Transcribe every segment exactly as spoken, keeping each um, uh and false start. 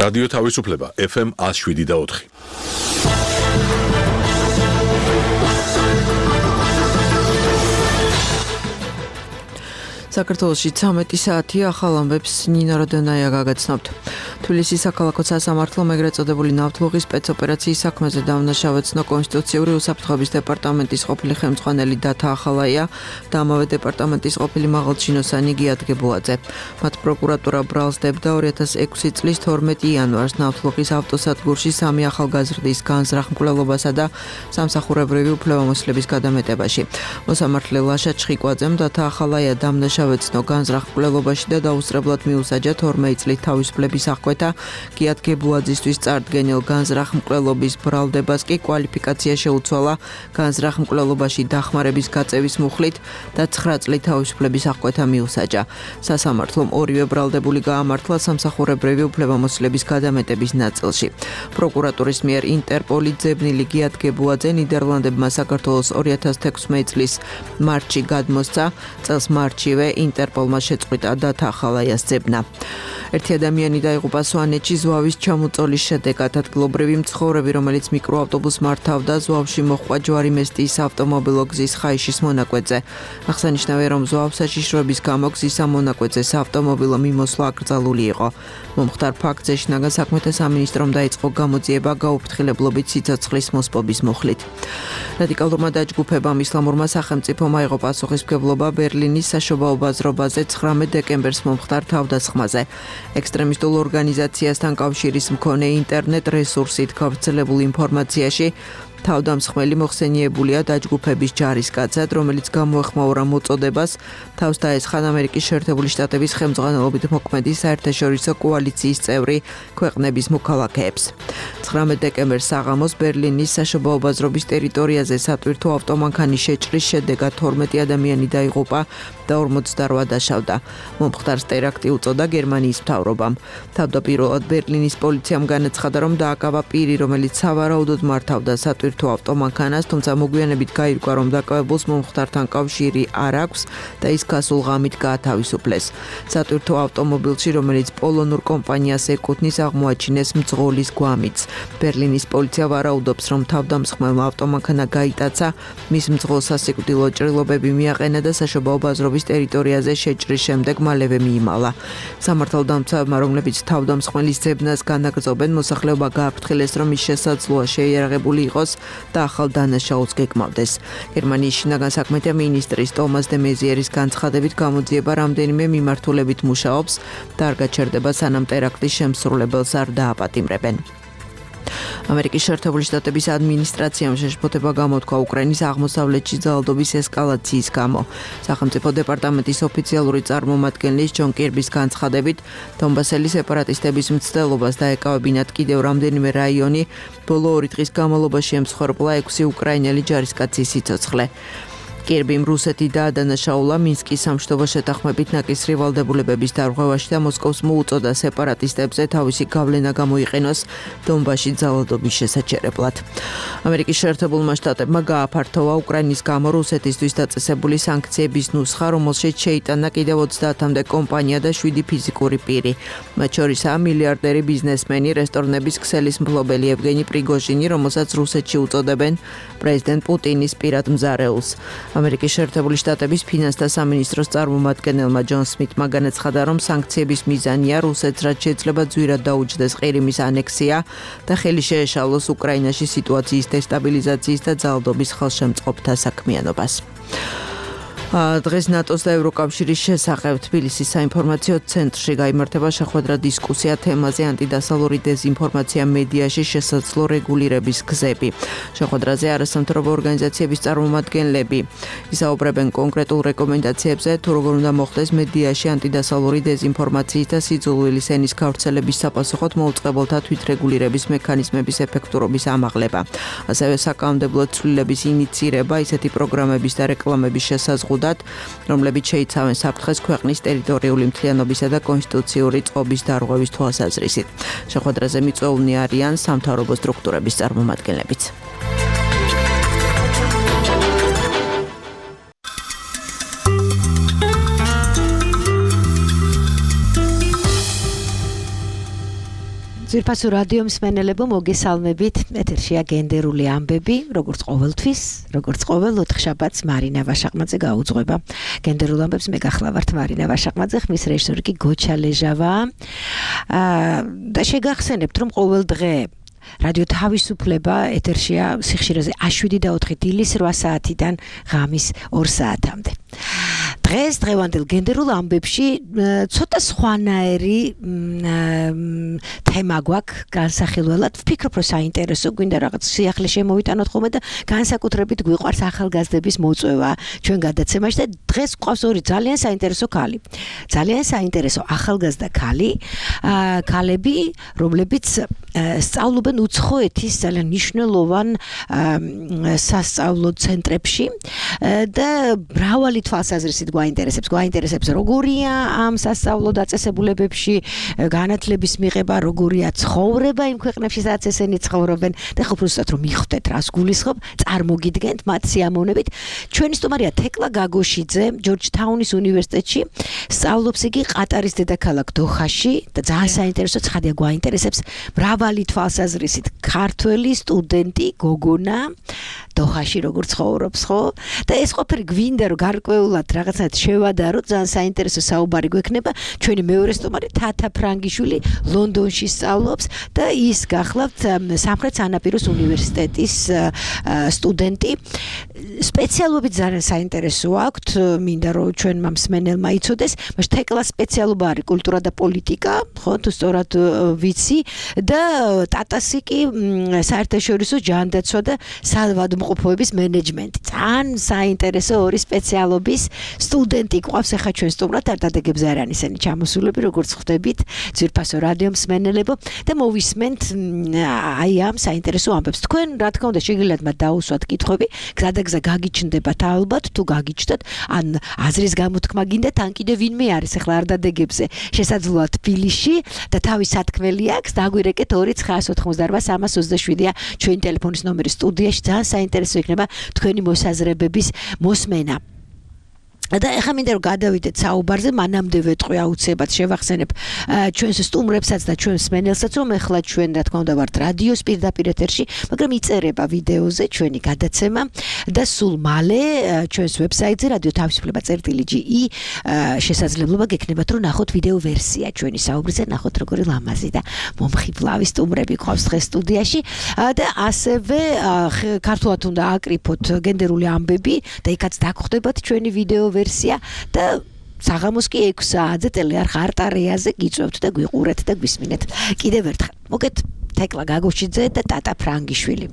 რადიო თავისუფლება ეფ ემ one oh seven და four. საქართველოში ცამეტი საათია, ახალ ამბებს ნინა როდონაია გაგაცნობთ. თბილისის საქალაქო სასამართლომ ეგრეთ წოდებული ნავთლუღის სპეცოპერაციის საქმეზე დავნაშავე ცნო კონსტიტუციური უსაფრთხოების დეპარტამენტის ყოფილი ხელმძღვანელი დათა ახალაია და ამავე დეპარტამენტის ყოფილი მაღალჩინოსანი გიად გებუაძე. მათ პროკურატურა ბრალს დებდა two thousand six წლის თორმეტი იანვარს ნავთლუღის ავტოსადგურში სამი ახალგაზრდის განზრახ მკვლელობასა და სამსახურებრივი უფლებამოსილების გადამეტებაში. მოსამართლე ლაშა ჩხიკვაძემ დათა ახალაია დამნაშავე ცნო განზრახ მკვლელობაში და დაუსწრებლად მიუსაჯა თორმეტი წლით თავისუფლების აღკვეთა გიად გებუაძისთვის წარდგენილ განზრახ მკვლელობის ბრალდებას კი კვალიფიკაცია შეუცვალა განზრახ მკვლელობაში დახმარების გაწევის მუხლით და ცხრა წლით თავისუფლების აღკვეთა მიუსაჯა. სასამართლომ ორივე ბრალდებული გაამართლა სამსახურებრივი უფლებამოსილების გადამეტების ნაწილში. პროკურატურის მიერ ინტერპოლი ძებნილი გიად გებუაძე ნიდერლანდებმა საქართველოს two thousand sixteen წლის მარტში გადმოსცა. წელს მარტშივე ინტერპოლმა შეწყვიტა დათა ახალაიას ძებნა. ერთი ადამიანი დაიღუპა სვანეთში ზვავის ჩამოწოლის შედეგად. ადგილობრივი მცხოვრები, რომელიც მიკროავტობუსს მართავდა, ზვავში მოჰყვა ჯვარიმესტიის ავტომობილო გზის ხაიშის მონაკვეთზე. აღსანიშნავია, რომ ზვავ საშიშროების გამო გზის ამ მონაკვეთზე ავტომობილო მიმოსვლა აკრძალული იყო. მომხდარ ფაქტზე შინაგან საქმეთა სამინისტრომ დაიწყო გამოძიება გაუფრთხილებლობით სიცოცხლის მოსპობის მუხლით. რადიკალურმა დაჯგუფებამ ისლამურმა სახელმწიფომ აიღო პასუხისმგებლობა ბერლინის საშობაო ბაზრობაზე ცხრამეტ დეკემბერს მომხდარ თავდასხმაზე. ექსტრემისტულ ორგანიზაციასთან კავშირის მქონე ინტერნეტ რესურსით გავრცელებულ ინფორმაციაში თავდამსხმელი მოხსენიებულია დაჯგუფების ჯარისკაცად, რომელიც გამოეხმაურა მოწოდებას თავს დაესხან ამერიკის შეერთებული შტატების ხელმძღვანელობით მოქმედი საერთაშორისო კოალიციის წევრი ქვეყნების მოქალაქეებს. ცხრამეტ დეკემბერს საღამოს ბერლინის საშობაო ბაზრობის ტერიტორიაზე სატვირთო ავტომანქანის შეჭრის შედეგად თორმეტი ადამიანი დაიღუპა და ორმოცდაოთხ დაშავდა. მომხდარს ტერაქტი უწოდა გერმანიის მთავრობამ. თავდაპირველად ბერლინის პოლიციამ განაცხადა, რომ დააკავა პირი, რომელიც სავარაუდოდ მართავდა სატვირთო ავტომანქანას, თუმცა მოგვიანებით გაირკვა, რომ დაკავებულს მომხდართან კავშირი არ აქვს და ის გასულ ღამით გაათავისუფლეს. სატვირთო ავტომობილში, რომელიც პოლონურ კომპანიას ეკუთვნის, აღმოაჩინეს მძღოლის გვამიც. ბერლინის პოლიცია ვარაუდობს, რომ თავდამსხმელმა ავტომანქანა გაიტაცა, მის მძღოლს სასიკვდილო ჭრილობები მიაყენა და საშობაო ბაზრობის ტერიტორიაზე შეჭრის შემდეგ მალევე მიიმალა. სამართალდამცავებმა, რომლებიც თავდამსხმელის ძებნას განაგრძობენ, მოსახლეობა გააფრთხილეს, რომ ის შესაძლოა შეიარაღებული იყოს და ახალ დანაშაულს გეკმავდეს. გერმანიის შინაგან საქმეთა მინისტრის ტომას დე მეზიერის განცხადებით გამოძიება რამდენიმე მიმართულებით მუშაობს და არ გაჩერდება, სანამ ტერაქტის შემსრულებელს არ დააპატიმრებენ. ამერიკის შეერთებული შტატების ადმინისტრაციამ შეშფოთება გამოთქვა უკრაინის აღმოსავლეთში ძალადობის ესკალაციის გამო. სახელმწიფო დეპარტამენტის ოფიციალური წარმომადგენლის ჯონ კირბის განცხადებით, დონბასელი სეპარატისტების მცდელობას დაეკავებინათ კიდევ რამდენიმე რაიონი, ბოლო ორი დღის განმავლობაში ემსხვერპლა ექვსი უკრაინელი ჯარისკაცის სიცოცხლე. კირბიმ რუსეთი დაადანაშაულა მინსკის სამშვიდობო შეთანხმებით ნაკისრი ვალდებულებების დარღვევაში და მოსკოვს მოუწოდა სეპარატისტებზე თავისი გავლენა გამოიყენოს დონბასში ძალადობის შესაჩერებლად. ამერიკის შეერთებულმა შტატებმა გააფართოვა უკრაინის გამო რუსეთისთვის დაწესებული სანქციების ნუსხა, რომელშიც შეიტანა კიდევ ოცდაათამდე კომპანია და შვიდი ფიზიკური პირი. მათ შორისაა მილიარდერი ბიზნესმენი, რესტორნების ქსელის მფლობელი ევგენი პრიგოჟინი, რომელსაც რუსეთში უწოდებენ პრეზიდენტ პუტინის პირად მზარეულს. ამერიკის შეერთებული შტატების ფინანსთა სამინისტროს წარმომადგენელმა ჯონ სმითმა განაცხადა, რომ სანქციების მიზანია რუსეთს რაც შეიძლება ძვირად დაუჯდეს ყირიმის ანექსია და ხელი შეეშალოს უკრაინაში სიტუაციის დესტაბილიზაციის და ძალადობის ხელშემწყობთა საქმიანობას. დღეს ნატოს და ევროკავშირის შესახებ თბილისის საინფორმაციო ცენტრში გაიმართება შეხვედრა დისკუსია თემაზე ანტიდასალური დეზინფორმაცია მედიაში შესაძლო რეგულირების გზები. შეხვედრაზე არასამთავრობო ორგანიზაციების წარმომადგენლები ისაუბრებენ კონკრეტულ რეკომენდაციებზე, თუ როგორ უნდა მოხდეს მედიაში ანტიდასალური დეზინფორმაციის და სიძულვილის ენის გავრცელების საპასუხოდ მოუწყებელთა თვითრეგულირების მექანიზმების ეფექტურობის ამაღლება. ასევე საკანონმდებლო ცვლილების ინიცირება ისეთი პროგრამების და რეკლამების შესაზღუდად, რომლებიც შეიცავენ საფრთხეს ქვეყნის ტერიტორიული მთლიანობისა და კონსტიტუციური წყობის დარღვევის თვალსაზრისით. შეხვედრაზე მიწვეულნი არიან სამთავრობო სტრუქტურების წარმომადგენლებიც. ძვირფასო რადიო მსმენელებო, მოგესალმებით. ეთერშია გენდერული ამბები, როგორც ყოველთვის, როგორც ყოველ ოთხშაბათს მარინა ვაშაყმაძე გაუძღვება. გენდერულ ამბებს მე გახლავართ მარინა ვაშაყმაძე, ხმის რეჟისორი კი გოჩა ლეჟავა. აა და შეგახსენებთ, რომ ყოველ დღე რადიო თავისუფლება ეთერშია სიხშირეზე შვიდი და ოთხი დილის რვა საათიდან ღამის ორ საათამდე. დღეს დღევანდელ გენდერულ ამბებში ცოტა სხვანაირი თემა გვაქვს განსახილველად. ვფიქრობ, რომ საინტერესო, გვინდა რაღაც სიახლე შემოვიტანოთ ხოლმე და განსაკუთრებით გვიყვარს ახალგაზრდების მოწვევა ჩვენ გადაცემაში და დღეს გვყავს ორი ძალიან საინტერესო ქალი. ძალიან საინტერესო ახალგაზრდა ქალი, ქალები, რომლებიც სწავლობენ უცხოეთის ძალიან მნიშვნელოვან სასწავლო ცენტრებში და მრავალი თვალსაზრისით გვაინტერესებს, გვაინტერესებს როგორია ამ სასწავლო დაწესებულებებში განათლების მიღება, როგორია ცხოვრება იმ ქვეყნებში, სადაც ესენი ცხოვრობენ და ხო უბრალოდ რომ მიხვდეთ რას გულისხმობ, წარმოგიდგენთ მათ სიამოვნებით. ჩვენი სტუმარია თეკლა გაგოშიძე, ჯორჯთაუნის უნივერსიტეტში, სწავლობს იგი ყატარის დედაქალაქ დოჰაში და ძალიან საინტერესო ცხადია გვაინტერესებს მრავალი თვალსაზრისით ქართველი სტუდენტი გოგონა დოჰაში როგორ ცხოვრობს, ხო? და ეს ყოფილი გვინდა რომ გარკვეულად რაღაცნაირად შევადაროთ, ძალიან საინტერესო საუბარი გვექნება. ჩვენი მეორე სტუმარი თათა ფრანგიშვილი ლონდონში სწავლობს და ის გახლავთ სამხრეთ სანაპიროს უნივერსიტეტის სტუდენტი. სპეციალობით ძალიან საინტერესო აქვთ, მინდა რომ ჩვენმა მსმენელმა იცოდეს, მაგრამ თეკლას სპეციალობა არის კულტურა და პოლიტიკა, ხო, თუ სწორად ვიცი და ტატასი კი საერთაშორისო ჯანდაცვა და საავადმყოფოების მენეჯმენტი. ძალიან საინტერესო ორი სპეციალობის სტუდენტი გვყავს ახლა ჩვენ სტუმრად, არ დადეგებს არიან ისინი ჩამოსულები, როგორც ხვდებით, ძვირფასო რადიო მსმენელებო და მოვისმენთ აი ამ საინტერესო ამბებს. თქვენ რა თქმა უნდა შეგიძლიათ მათ დაუსვათ კითხვები, გზადაგზა გაგიჩნდებათ ალბათ, თუ გაგიჩნდათ, ან აზრის გამოთქმა გინდათ, ან კიდე ვინმე არის ახლა არ დადეგებზე შესაძლოა თბილისში და თავის სათქმელი აქვს, დაგვირეკეთ ორი ცხრაას ოთხმოცდარვა სამას ოცდაშვიდია ჩვენი ტელეფონის ნომერი სტუდიაში. ძალიან საინტერესო იქნება თქვენი მოსაზრებების მოსმენა. და ეხლა მინდა რომ გადავიდეთ საუბარზე, მანამდე ვეტყვი აუცილებლად შევახსენებ ჩვენს სტუმრებსაც და ჩვენს მსმენელსაც, რომ ეხლა ჩვენ რა თქმა უნდა ვართ რადიოს პირდაპირ ეთერში, მაგრამ იწერება ვიდეოზე ჩვენი გადაცემა და სულ მალე ჩვენს ვებსაიტზე რადიო თავისუფლება წერტილი ჯი ი შესაძლებლობა გექნებათ რომ ნახოთ ვიდეო ვერსია ჩვენი საუბრისა, ნახოთ როგორი ლამაზი და მომხიბლავი სტუმრები გვყავს დღეს სტუდიაში და ასევე ქართულად უნდა აკრიფოთ გენდერული ამბები და იქაც დაგხვდებათ ჩვენი ვიდეო ვერსია და საღამოს კი ექვსი საათზე ტელეარხ არტარეაზე გიწვევთ და გვიყურეთ და გვისმინეთ. კიდევ ერთხელ მოგეთ თეკლა გაგოშიძე და ტატა ფრანგიშვილი.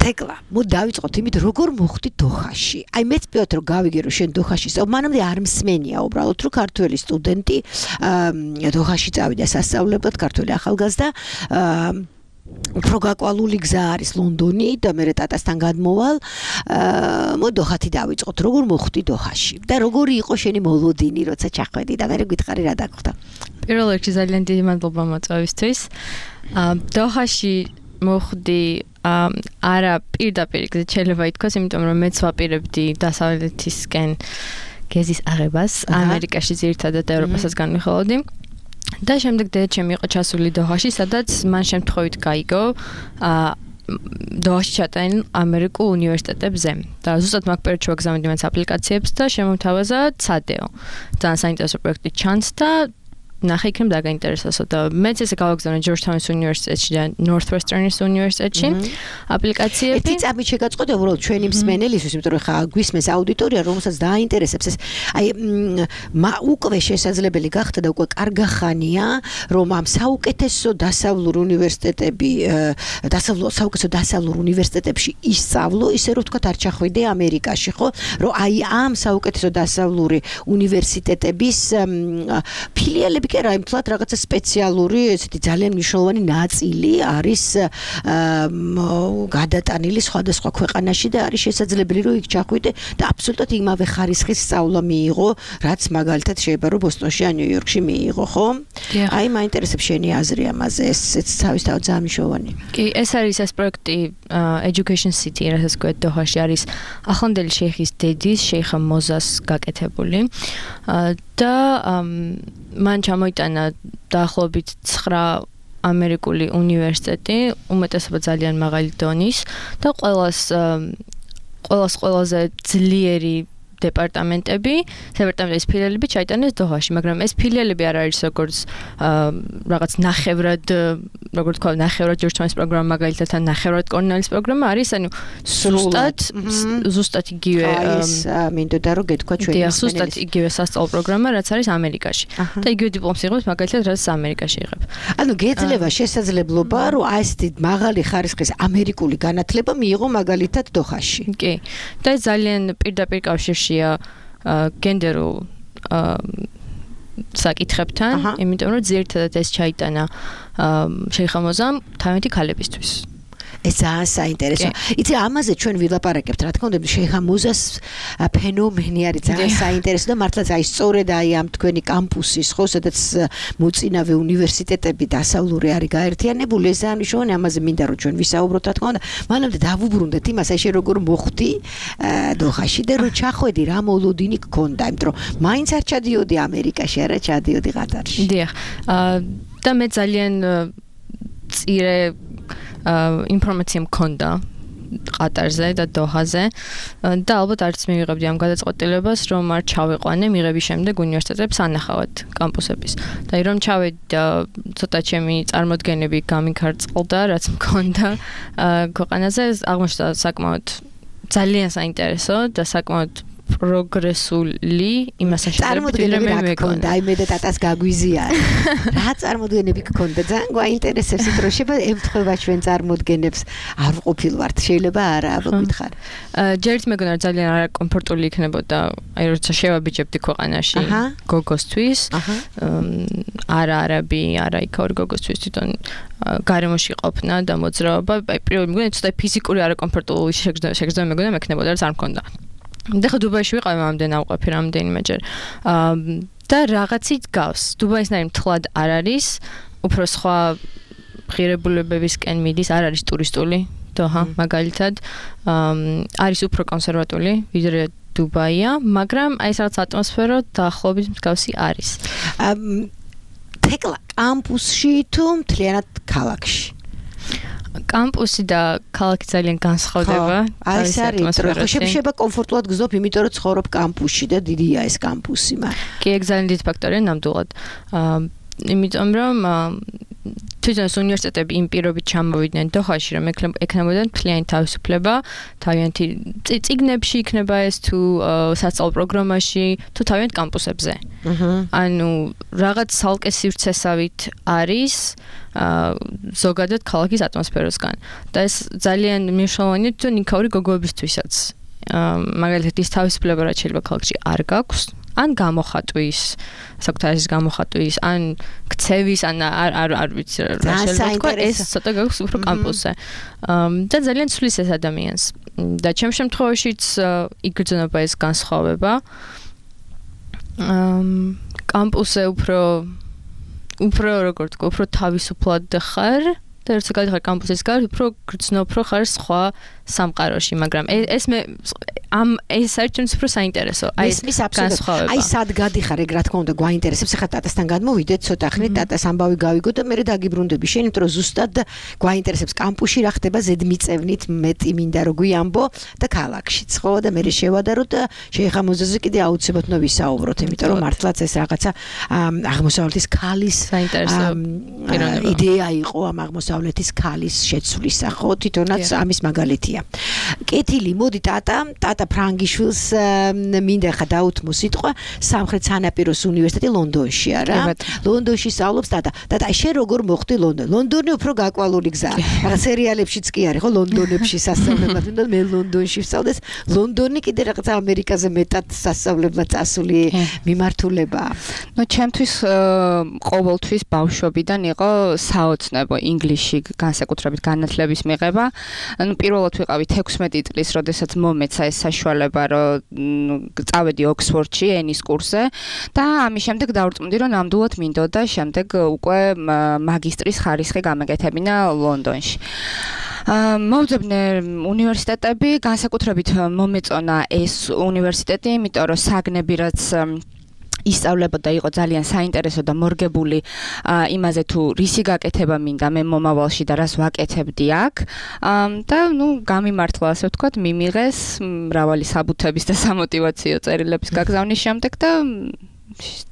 თეკლა, მოდი დავიწყოთ იმით, როგორ მოხვდი დოჰაში. აი მეც პიოთ რომ გავიგე რომ შენ დოჰაში სწავლობ, მანამდე არ მსმენია უბრალოდ რომ ქართველი სტუდენტი დოჰაში წავიდა სასწავლებლად, ქართველი ახალგაზრდა უფრო გაკვალული გზა არის ლონდონი და მე ტატასთან გადმოვალ. მოდი დოჰათი დავიწყოთ. როგორ მოხვდი დოჰაში და როგორი იყო შენი მოლოდინი, როცა ჩახვედი და მე გითხარი რა დაგხვდა. პირველ რიგში ძალიან დიდი მადლობა მოწვევისთვის. დოჰაში მოხვდი არა პირდაპირ გზით შეიძლება ითქვას, იმიტომ რომ მეც ვაპირებდი დასავლეთისკენ გეზის აღებას, ამერიკაში ძირითადად ევროპასაც განვიხილავდი. და შემდეგ დედაჩემი იყო ჩასული დოჰაში, სადაც მან შემთხვევით გაიგო დოჰაში ჩატანილ ამერიკულ უნივერსიტეტებზე. და ზუსტად მაგ პერიოდში ვაგზავნდი მან აპლიკაციებს და შემომთავაზა ცადეო. ძალიან საინტერესო პროექტი ჩანს და ნახე იქნებ დაგაინტერესოსო და მეც ესე გავაგზავნე ჯორჯთაუნის უნივერსიტეტში და ნორთვესტერნის უნივერსიტეტში აპლიკაციები. ერთი წამით შეგაწყვეტე უბრალოდ ჩვენი მსმენელისთვის, იმიტომ რომ ხა გვისმენს აუდიტორია, რომელსაც დააინტერესებს ეს. აი უკვე შესაძლებელი გახდა და უკვე კარგახანია, რომ ამ საუკეთესო დასავლურ უნივერსიტეტები, დასავლურ საუკეთესო დასავლურ უნივერსიტეტებში ისწავლო, ისე რომ თქვა არ ჩახვიდე ამერიკაში, ხო? რომ აი ამ საუკეთესო დასავლური უნივერსიტეტების ფილიალები კი არა, იმთლად რაღაცა სპეციალური, ესეთი ძალიან მნიშვნელოვანი ნაწილი არის გადატანილი სხვადასხვა ქვეყანაში და არის შესაძლებელი რომ იქ ჩახვიდე და აბსოლუტურად იმავე ხარისხის სწავლა მიიღო, რაც მაგალითად შეიძლება რომ ბოსტონში ან ნიუ-იორკში მიიღო, ხო? აი მაინტერესებს შენი აზრი ამაზე, ესეც თავისთავად ძალიან მნიშვნელოვანი. კი, ეს არის ეს პროექტი Education City, რასაც გვეთ დოჰაში არის ახლანდელი შეიხის დედის, შეიხა მოზას გაკეთებული და მან ჩამოიტანა დაახლოებით ცხრა ამერიკული უნივერსიტეტი, უმეტესობა ძალიან მაღალი დონის და ყველას ყველას ყველაზე ძლიერი დეპარტამენტები, დეპარტამენტის ფილიალები ჩაიტანეს დოჰაში, მაგრამ ეს ფილიალები არ არის როგორც რაღაც ნახევრად, როგორც თქვა, ნახევრად ჯორჯთაუნის პროგრამა, მაგალითად, ან ნახევრად კორნელის პროგრამა არის, ანუ ზუსტად ზუსტად იგივე ეს მინდოდა რომ გეთქვა ჩვენი მსმენელის. ზუსტად იგივე სასწავლო პროგრამა, რაც არის ამერიკაში. და იგივე დიპლომს იღებს, მაგალითად, რაც ამერიკაში იღებ. ანუ გეძლევა შესაძლებლობა, რომ აი ესეთი მაღალი ხარისხის ამერიკული განათლება მიიღო მაგალითად დოჰაში. კი. და ეს ძალიან პირდაპირ კავშირში გენდერულ საკითხებთან, იმიტომ რომ ძირითადად ეს ჩაიტანა შეიხამოზამ თავიანთი ქალებისთვის. ეს ძალიან საინტერესო. იცი ამაზე ჩვენ ვილაპარაკებთ, რა თქმა უნდა, შეიხამოზას ფენომენი არის ძალიან საინტერესო და მართლაც აი სწორედ აი ამ თქვენი კამპუსის, ხო, სადაც მოწინავე უნივერსიტეტები დასავლური არის გაერთიანებული, ეს ძალიან მნიშვნელოვანი, ამაზე მინდა რომ ჩვენ ვისაუბროთ, რა თქმა უნდა. მანამდე დავუბრუნდეთ იმას, აი შე როგორ მოხვდი დოჰაში და რომ ჩახვედი, რა მოლოდინი გქონდა, იმიტომ რომ მაინც არ ჩადიოდი ამერიკაში, არა ჩადიოდი ყატარში. დიახ. და მე ძალიან წირე ინფორმაცია მქონდა ყატარზე და დოჰაზე და ალბათ არც მივიღებდი ამ გადაწყვეტილებას, რომ არ ჩავიყვანე მიღების შემდეგ უნივერსიტეტებს ანახავად კამპუსების. და რომ ჩავედი და ცოტა ჩემი წარმოდგენები გამიქარწყლდა, რაც მქონდა ქვეყანაზე, აღმოჩნდა საკმაოდ ძალიან საინტერესო და საკმაოდ პროგრესული იმასთან წარმოდგენები რა გქონდა, აი მე და ტატას გაგვიზია. რა წარმოდგენები გქონდა? ძალიან გვაინტერესებს, რომ შეიძლება ემთხვევა ჩვენ წარმოდგენებს. არ ყოფილ ვართ, შეიძლება არა, აბა გითხარ. ჯერ ერთ მეგონა ძალიან არაკომფორტული იქნებოდა, აი როცა შევაბიჯებდი ქვეყანაში გოგოსთვის. არა არაბი, არა იქაური გოგოსთვის თვითონ გარემოში ყოფნა და მოძრაობა, აი პირველი მეგონა ცოტა ფიზიკური არაკომფორტული შეგრძნება მეგონა მექნებოდა, რაც არ მქონდა. და ხო დუბაიში ვიყავი ამდენ ავყოფი რამდენიმეჯერ. და რაღაცით გავს. დუბაისნაირი მთლად არ არის, უფრო სხვა ღირებულებებისკენ მიდის, არ არის ტურისტული დოჰა მაგალითად. არის უფრო კონსერვატული, ვიდრე დუბაია, მაგრამ აი ეს რაღაც ატმოსფერო დაახლოებით მსგავსი არის. თეკლა კამპუსში თუ მთლიანად ქალაქში? კამპუსი და ქალაქი ძალიან განსხვავდება. აი ეს არის, რომ შეიძლება კომფორტულად გზნობ, იმიტომ რომ ცხოვრობ კამპუსში და დიდია ეს კამპუსი, მაგრამ კი, ეგ ძალიან დიდი ფაქტორია ნამდვილად. იმიტომ რომ თვითონ უნივერსიტეტები იმ პირობით ჩამოვიდნენ დოჰაში, რომ ექნებოდან მთლიანი თავისუფლება, თავიანთი წიგნებში იქნება ეს თუ სასწავლო პროგრამაში, თუ თავიანთ კამპუსებზე. ანუ რაღაც ცალკე სივრცესავით არის ზოგადად ქალაქის ატმოსფეროსგან. და ეს ძალიან მნიშვნელოვანია თვითონ იქაური გოგოებისთვისაც. მაგალითად ის თავისუფლება, რაც შეიძლება ქალაქში არ გაქვს, ან გამოხატვის, საკუთარის გამოხატვის, ან ქცევის, ან არ არ არ ვიცი რა შეიძლება ეს ცოტა გაქვს უფრო კამპუსზე. და ძალიან ცვლის ეს ადამიანს. და ჩემ შემთხვევაშიც იგრძნობა ეს განსხვავება. კამპუსზე უფრო უფრო როგორ თქვა, უფრო თავისუფლად ხარ და როცა გადიხარ კამპუსის გარეთ, უფრო გრძნობ, უფრო ხარ სხვა სამყაროში, მაგრამ ეს მე ამ ეს საერთოდ უფრო საინტერესო. აი ეს განსხვავება. აი სად გადიხარ, ეგ რა თქმა უნდა გვაინტერესებს. ახლა ტატასთან გადმოვიდეთ, ცოტა ხნით ტატას ამბავი გავიგო და მე დაგიბრუნდები შენ, იმიტომ რომ ზუსტად გვაინტერესებს კამპუსში რა ხდება ზედმიწევნით, მეტი მინდა რომ გვიამბო და ქალაქშიც, ხო? და მე შევადაროთ და შეიხამოზაზე კიდე აუცილებლად უნდა ვისაუბროთ, იმიტომ რომ მართლაც ეს რაღაცა აღმოსავლეთის ქალის საინტერესო იდეა იყო ამ აღმოსავლეთის ქალის შეცვლისა, ხო? თვითონაც ამის მაგალითია. კეთილი, მოდი ტატა, ტატა ფრანგიშვილს მინდა ხა დაუთმო სიტყვა სამხრეთ სანაპიროს უნივერსიტეტი ლონდონში, არა? ლონდონში სწავლობს ტატა. ტატა, შენ როგორ მოხვდი ლონდონ? ლონდონი უფრო გაკვალული გზაა. რა სერიალებშიც კი არის, ხო, ლონდონებში სასწავლებლად, თუნდაც მე ლონდონში ვსწავლდეს. ლონდონი კიდე რაღაც ამერიკაზე მეტად სასწავლებლად წასული მიმართულებაა. ნუ ჩემთვის ყოველთვის ბავშვობიდან იყო საოცნებო ინგლისში განსაკუთრებით განათლების მიღება. ანუ პირველად ვიყავით ექვსმეტი წლის, როდესაც მომეცა ეს საშუალება, რომ წავედი ოქსფორდში ენის კურსზე და ამის შემდეგ დავრწმუნდი, რომ ნამდვილად მინდოდა შემდეგ უკვე მაგისტრის ხარისხი გამეკეთებინა ლონდონში. მოვძებნე უნივერსიტეტები, განსაკუთრებით მომეწონა ეს უნივერსიტეტი, იმიტომ რომ საგნები რაც ისწავლებოდა იყო ძალიან საინტერესო და მორგებული იმაზე თუ რისი გაკეთება მინდა მე მომავალში და რას ვაკეთებდი აქ და ნუ გამიმართლა ასე ვთქვათ მიმიღეს მრავალი საბუთების და სამოტივაციო წერილების გაგზავნის შემდეგ და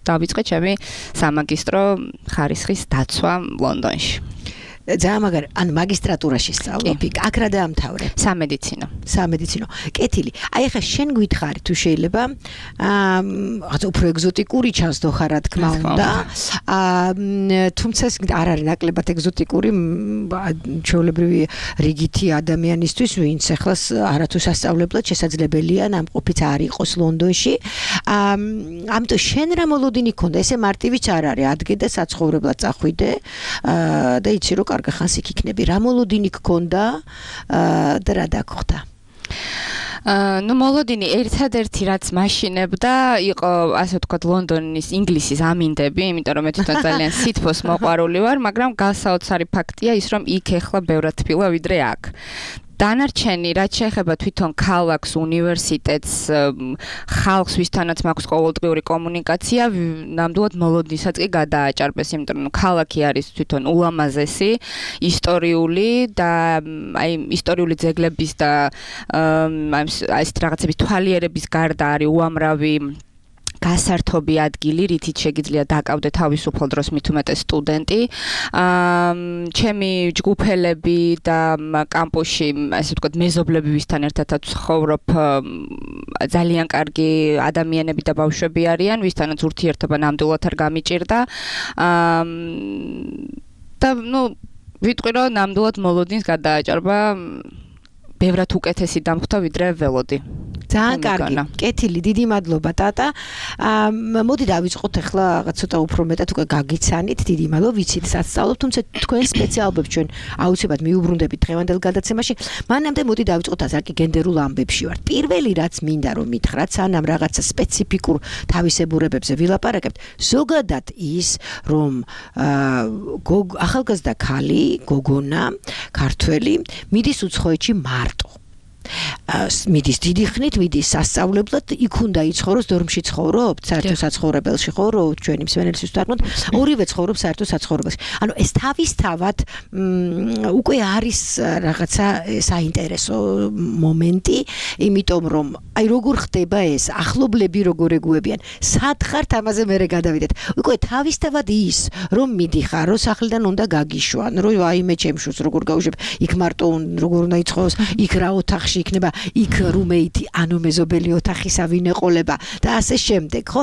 დავიწყე ჩემი სამაგისტრო ხარისხის დაცვა ლონდონში. ძალიან მაგარი, ან მაგისტრატურაში სწავლობ, აქ რა დაამთავრე? სამედიცინო. სამედიცინო. კეთილი. აი ახლა შენ გითხარი თუ შეიძლება აა რაღაც უფრო ეგზოტიკური ჩანსდო ხარ რა თქმა უნდა. აა თუმცა ეს არ არის ნაკლებად ეგზოტიკური ჩვეულებრივი რიგითი ადამიანისთვის, ვინც ახლა არათუ სასწავლებლად შესაძლებელია ნამყოფიც არ იყოს ლონდონში. აა ამიტომ შენ რა მოლოდინი ქონდა? ესე მარტივიც არ არის, ადგე და საცხოვრებლად წახვიდე აა და იცი რომ კარგი ხანს იქ იქნები. რა მოლოდინი გქონდა და რა დაგხვდა? აა ნუ მოლოდინი ერთადერთი რაც მაშინებდა იყო ასე ვთქვათ ლონდონის ინგლისის ამინდები, იმიტომ რომ მე თვითონ ძალიან სითბოს მოყვარული ვარ, მაგრამ გასაოცარი ფაქტია ის რომ იქ ეხლა ბევრად თბილა ვიდრე აქ. დანარჩენი რაც შეეხება თვითონ ქალაქს, უნივერსიტეტს, ხალხს, ვისთანაც მაქვს ყოველდღიური კომუნიკაცია, ნამდვილად მოლოდინსაც კი გადააჭარბეს, იმიტომ რომ ქალაქი არის თვითონ ულამაზესი, ისტორიული და აი ისტორიული ძეგლების და აი ეს რაღაცების თვალიერების გარდა არის უამრავი გასართობი ადგილი, რითიც შეგიძლია დაკავდე თავისუფალ დროს მით უმეტეს სტუდენტი. აა ჩემი ჯგუფელები და კამპუსში, ასე ვთქვათ, მეზობლები ვისთან ერთადაც ვცხოვრობ, ძალიან კარგი ადამიანები და ბავშვები არიან, ვისთანაც ურთიერთობა ნამდვილად არ გამიჭირდა. აა და ნუ ვიტყვი რომ ნამდვილად მოლოდინს გადააჭარბა ბევრად უკეთესი დამხვდა ვიდრე ველოდი. ძალიან კარგი. კეთილი, დიდი მადლობა ტატა. აა მოდი დავიწყოთ ახლა რაღაც ცოტა უფრო მეტად უკვე გაგიცანით. დიდი მადლობა, ვიცით სასწავლობ, თუმცა თქვენ სპეციალობებს ჩვენ აუცილებლად მიუბრუნდებით დღევანდელ გადაცემაში. მანამდე მოდი დავიწყოთ ასაკი გენდერულ ამბებში ვარ. პირველი რაც მინდა რომ მითხრათ, სანამ რაღაცა სპეციფიკურ თავისებურებებზე ვილაპარაკებთ, ზოგადად ის რომ აა ახალგაზრდა ქალი, გოგონა, ქართველი მიდის უცხოეთში მარტო. მიდის დიდი ხნით, მიდის სასწავლებლად, იქ უნდა იცხოვროს დორმში ცხოვრობთ, საერთო საცხოვრებელში ხო, რო ჩვენი მსმენელისთვის ვთქვათ, ორივე ცხოვრობს საერთო საცხოვრებელში. ანუ ეს თავისთავად უკვე არის რაღაცა საინტერესო მომენტი, იმიტომ რომ აი როგორ ხდება ეს, ახლობლები როგორ ეგუებიან, სად ხართ ამაზე მერე გადავიდეთ. უკვე თავისთავად ის, რომ მიდიხარ, რომ სახლიდან უნდა გაგიშვან, რომ აი მე ჩემ შვილს როგორ გავუშვებ, იქ მარტო როგორ უნდა იცხოვროს, იქ რა ოთახში იქნება, იქ რუმეითი, ანუ მეზობელი ოთახისა ვინ ეყოლება და ასე შემდეგ, ხო?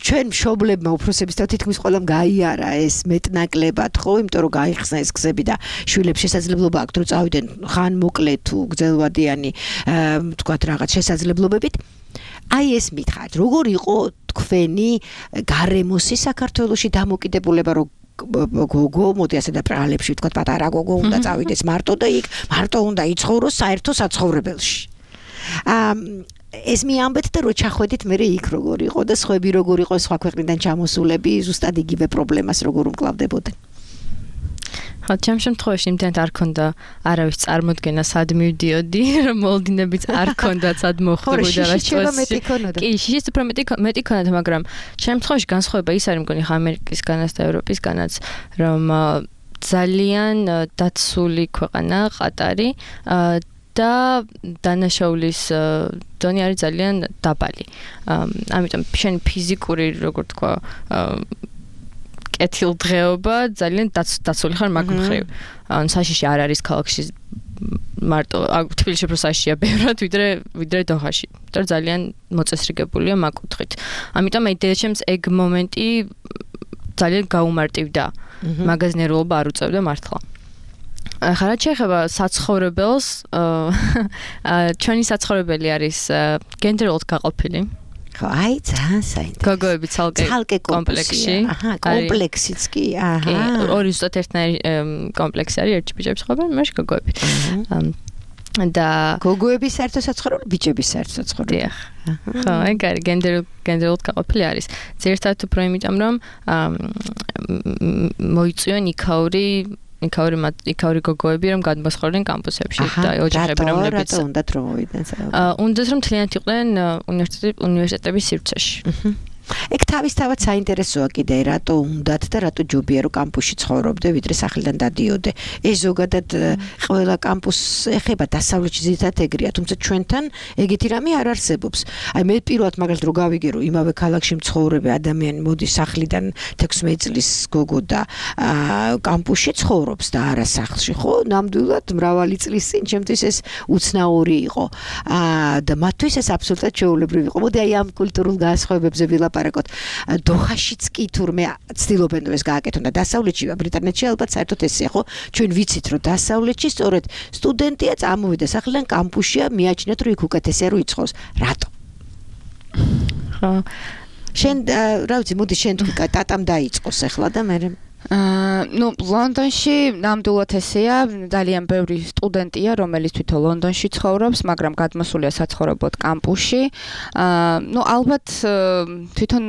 ჩვენ მშობლებმა უფროსების და თითქმის ყველამ გაიარა ეს მეტნაკლებად, ხო? იმიტომ რომ გაიხსნა ეს გზები და შვილებს შესაძლებლობა აქვთ რომ წავიდნენ ხან მოკლე თუ გრძელვადიანი, ვთქვათ რაღაც შესაძლებლობებით. აი ეს მითხარით, როგორ იყო თქვენი გარემოსი საქართველოში დამოკიდებულება რომ გოგო, მოდი ასე და პრალებში ვთქვათ, პატარა გოგო უნდა წავიდეს მარტო და იქ მარტო უნდა იცხოვროს საერთო საცხოვრებელში. აა ეს მიამბეთ და რო ჩახვედით მე იქ როგორ იყო და სხვები როგორ იყო სხვა ქვეყნიდან ჩამოსულები, ზუსტად იგივე პრობლემას როგორ უმკლავდებოდნენ. ხო, ჩემ შემთხვევაში იმდენად არ ქონდა არავის წარმოდგენა სად მივდიოდი, რომ მოლოდინებიც არ ქონდა სად მოხდებოდა რა სიტუაცია. კი, შიშიც უფრო მეტი მეტი ქონდა, მაგრამ ჩემ შემთხვევაში განსხვავება ის არის მგონი ამერიკისგანაც და ევროპისგანაც, რომ ძალიან დაცული ქვეყანა ყატარი და დანაშაულის დონე არის ძალიან დაბალი. ამიტომ შენ ფიზიკური, როგორ თქვა, კეთილდღეობა ძალიან დაცული ხარ მაგ მხრივ. ან საშიში არ არის ქალაქში მარტო თბილისში უფრო საშიშია ბევრად ვიდრე ვიდრე დოხაში. იმიტომ ძალიან მოწესრიგებულია მაგ კუთხით. ამიტომ აი დედაჩემს ეგ მომენტი ძალიან გაუმარტივდა. მაგაზნერულობა არ უწევდა მართლა. ახლა რაც შეეხება საცხოვრებელს, ჩვენი საცხოვრებელი არის გენდერულად გაყოფილი. ხო, აი ძალიან საინტერესო. გოგოები ცალკე ცალკე კომპლექსში. აჰა, კომპლექსიც კი, აჰა. ორი ზუსტად ერთნაირი კომპლექსი არის, ერთი ბიჭები ცხოვრობენ, მაშინ გოგოები. და გოგოების საერთო საცხოვრებელი, ბიჭების საერთო საცხოვრებელი. დიახ. ხო, ეგ არის გენდერულად გაყოფილი არის. ძირითადად უფრო იმიტომ რომ მოიწვიონ იქაური იქაური იქაური გოგოები რომ გადმოსხდნენ კამპუსებში და ოჯახები რომლებიც უნდათ რომ მოვიდნენ აა უნდათ რომ მთლიანად იყვნენ უნივერსიტეტების სივრცეში. ეგ თავისთავად საინტერესოა კიდე რატო უნდათ და რატო ჯობია რომ კამპუსში ცხოვრობდე ვიდრე სახლიდან დადიოდე ეს ზოგადად ყველა კამპუსს ეხება დასავლეთში ზედათ ეგრეა თუმცა ჩვენთან ეგეთი რამე არ არსებობს აი მე პირველად მაგალითად რო გავიგე რომ იმავე ქალაქში მცხოვრები ადამიანი მოდის სახლიდან თექვსმეტ წლის გოგო და კამპუსში ცხოვრობს და არა სახლში ხო ნამდვილად მრავალი წლის წინ ჩემთვის ეს უცნაური იყო და მათთვის ეს აბსოლუტურად შეუულებრივი იყო მოდი აი ამ კულტურულ განსხვავებებზე ვილაპარაკოთ დოხაშიც კი თურმე ცდილობენ რომ ეს გააკეთონ და დასავლეთში ბრიტანეთში ალბათ საერთოდ ესეა ხო ჩვენ ვიცით რომ დასავლეთში სწორედ სტუდენტია წამოვიდა სახლიდან კამპუსშია მიაჩნიათ რომ იქ უკეთესია რომ იცხოვს რატო ხო შენ რა ვიცი მოდი შენ თქვი ტატამ დაიწყოს ახლა და მე აა ნუ ლონდონში ნამდვილად ესეა ძალიან ბევრი სტუდენტია რომელიც თვითონ ლონდონში ცხოვრობს მაგრამ გადმოსულია საცხოვრებლად კამპუსში აა ნუ ალბათ თვითონ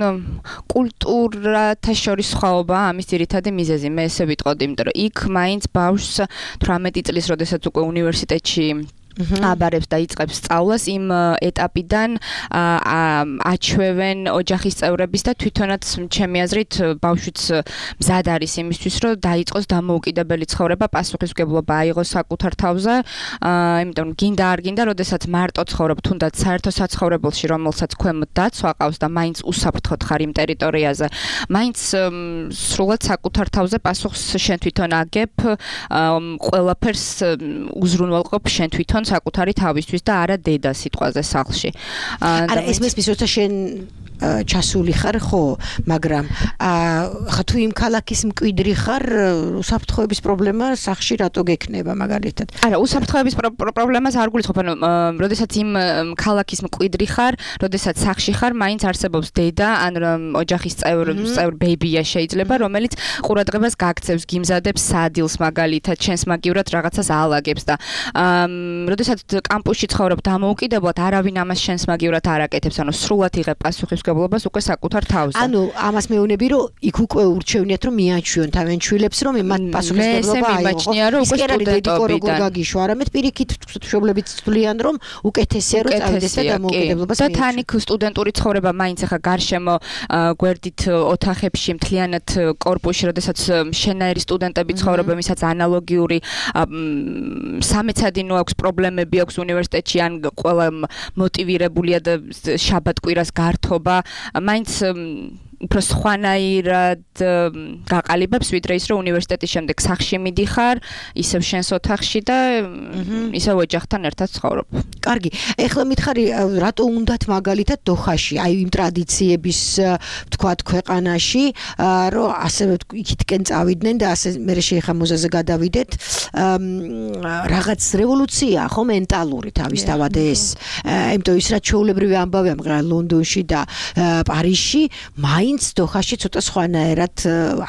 კულტურათა შორის სხვაობა ამის ძირითადი მიზეზი მე ესე ვიტყოდი იმიტომ რომ იქ მაინც ბავშვს თვრამეტი წლის როდესაც უკვე უნივერსიტეტში აბარებს და იწყებს სწავლას იმ ეტაპიდან აჩვევენ ოჯახის წევრების და თვითონაც ჩემი აზრით ბავშვიც მზად არის იმისთვის რომ დაიწყოს დამოუკიდებელი ცხოვრება პასუხისმგებლობა აიღოს საკუთარ თავზე იმიტომ გინდა არ გინდა როდესაც მარტო ცხოვრობ თუნდაც საერთო საცხოვრებელში რომელსაც ქვემოთ დაცვა ყავს და მაინც უსაფრთხოდ ხარ იმ ტერიტორიაზე მაინც სრულად საკუთარ თავზე პასუხს შენ თვითონ აგებ ყველაფერს უზრუნველყოფ შენ თვითონ საკუთარი თავისთვის და არა დედა სიტყვაზე სახლში. არა ეს მესმის როცა შენ ჩასული ხარ ხო მაგრამ ხა თუ იმ ქალაქის მკვიდრი ხარ უსაფრთხოების პრობლემა სახლში რატო გექნება მაგალითად არა უსაფრთხოების პრობლემას არ გულისხმობ ანუ როდესაც იმ ქალაქის მკვიდრი ხარ როდესაც სახლში ხარ მაინც არსებობს დედა ან ოჯახის წევრ წევრ ბეიბია შეიძლება რომელიც ყურადღებას გაქცევს გიმზადებს სადილს მაგალითად შენს მაგივრად რაღაცას აალაგებს და როდესაც კამპუსში ცხოვრობ დამოუკიდებლად არავინ ამას შენს მაგივრად არ აკეთებს ანუ სრულად იღებ პასუხის გებლობას უკვე საკუთარ თავზე. ანუ ამას მეუბნები რომ იქ უკვე ურჩევნიათ რომ მიაჩვიონ თავენ შვილებს რომ მათ პასუხისმგებლობა აიღო. ის კი არის დედიკოროგორ გაგიშვა, არამედ პირიქით მშობლებიც თვლიან რომ უკეთესია რომ წავიდეს და დამოუკიდებლობას მიაჩვიონ. და თან იქ სტუდენტური ცხოვრება მაინც ახლა გარშემო გვერდით ოთახებში მთლიანად კორპუსში, როდესაც შენაერი სტუდენტები ცხოვრობენ, ვისაც ანალოგიური სამეცადინო აქვს პრობლემები აქვს უნივერსიტეტში ან ყველა მოტივირებულია და შაბათ-კვირას გართობა მაინც უფრო სხვანაირად გაყალიბებს ვიდრე ის რომ უნივერსიტეტის შემდეგ სახლში მიდიხარ ისევ შენს ოთახში და ისევ ოჯახთან ერთად ცხოვრობ. კარგი, ეხლა მითხარი რატო უნდათ მაგალითად დოხაში, აი იმ ტრადიციების ვთქვათ ქვეყანაში, რომ ასევე იქითკენ წავიდნენ და ასე მე შეიხამოზაზე გადავიდეთ, რაღაც რევოლუცია ხო მენტალური თავისთავად ეს. იმიტომ ის რაც ჩაოლებრივი ამბავია მაგრამ ლონდონში და პარიზში მაინც დოხაში ცოტა სხვანაირად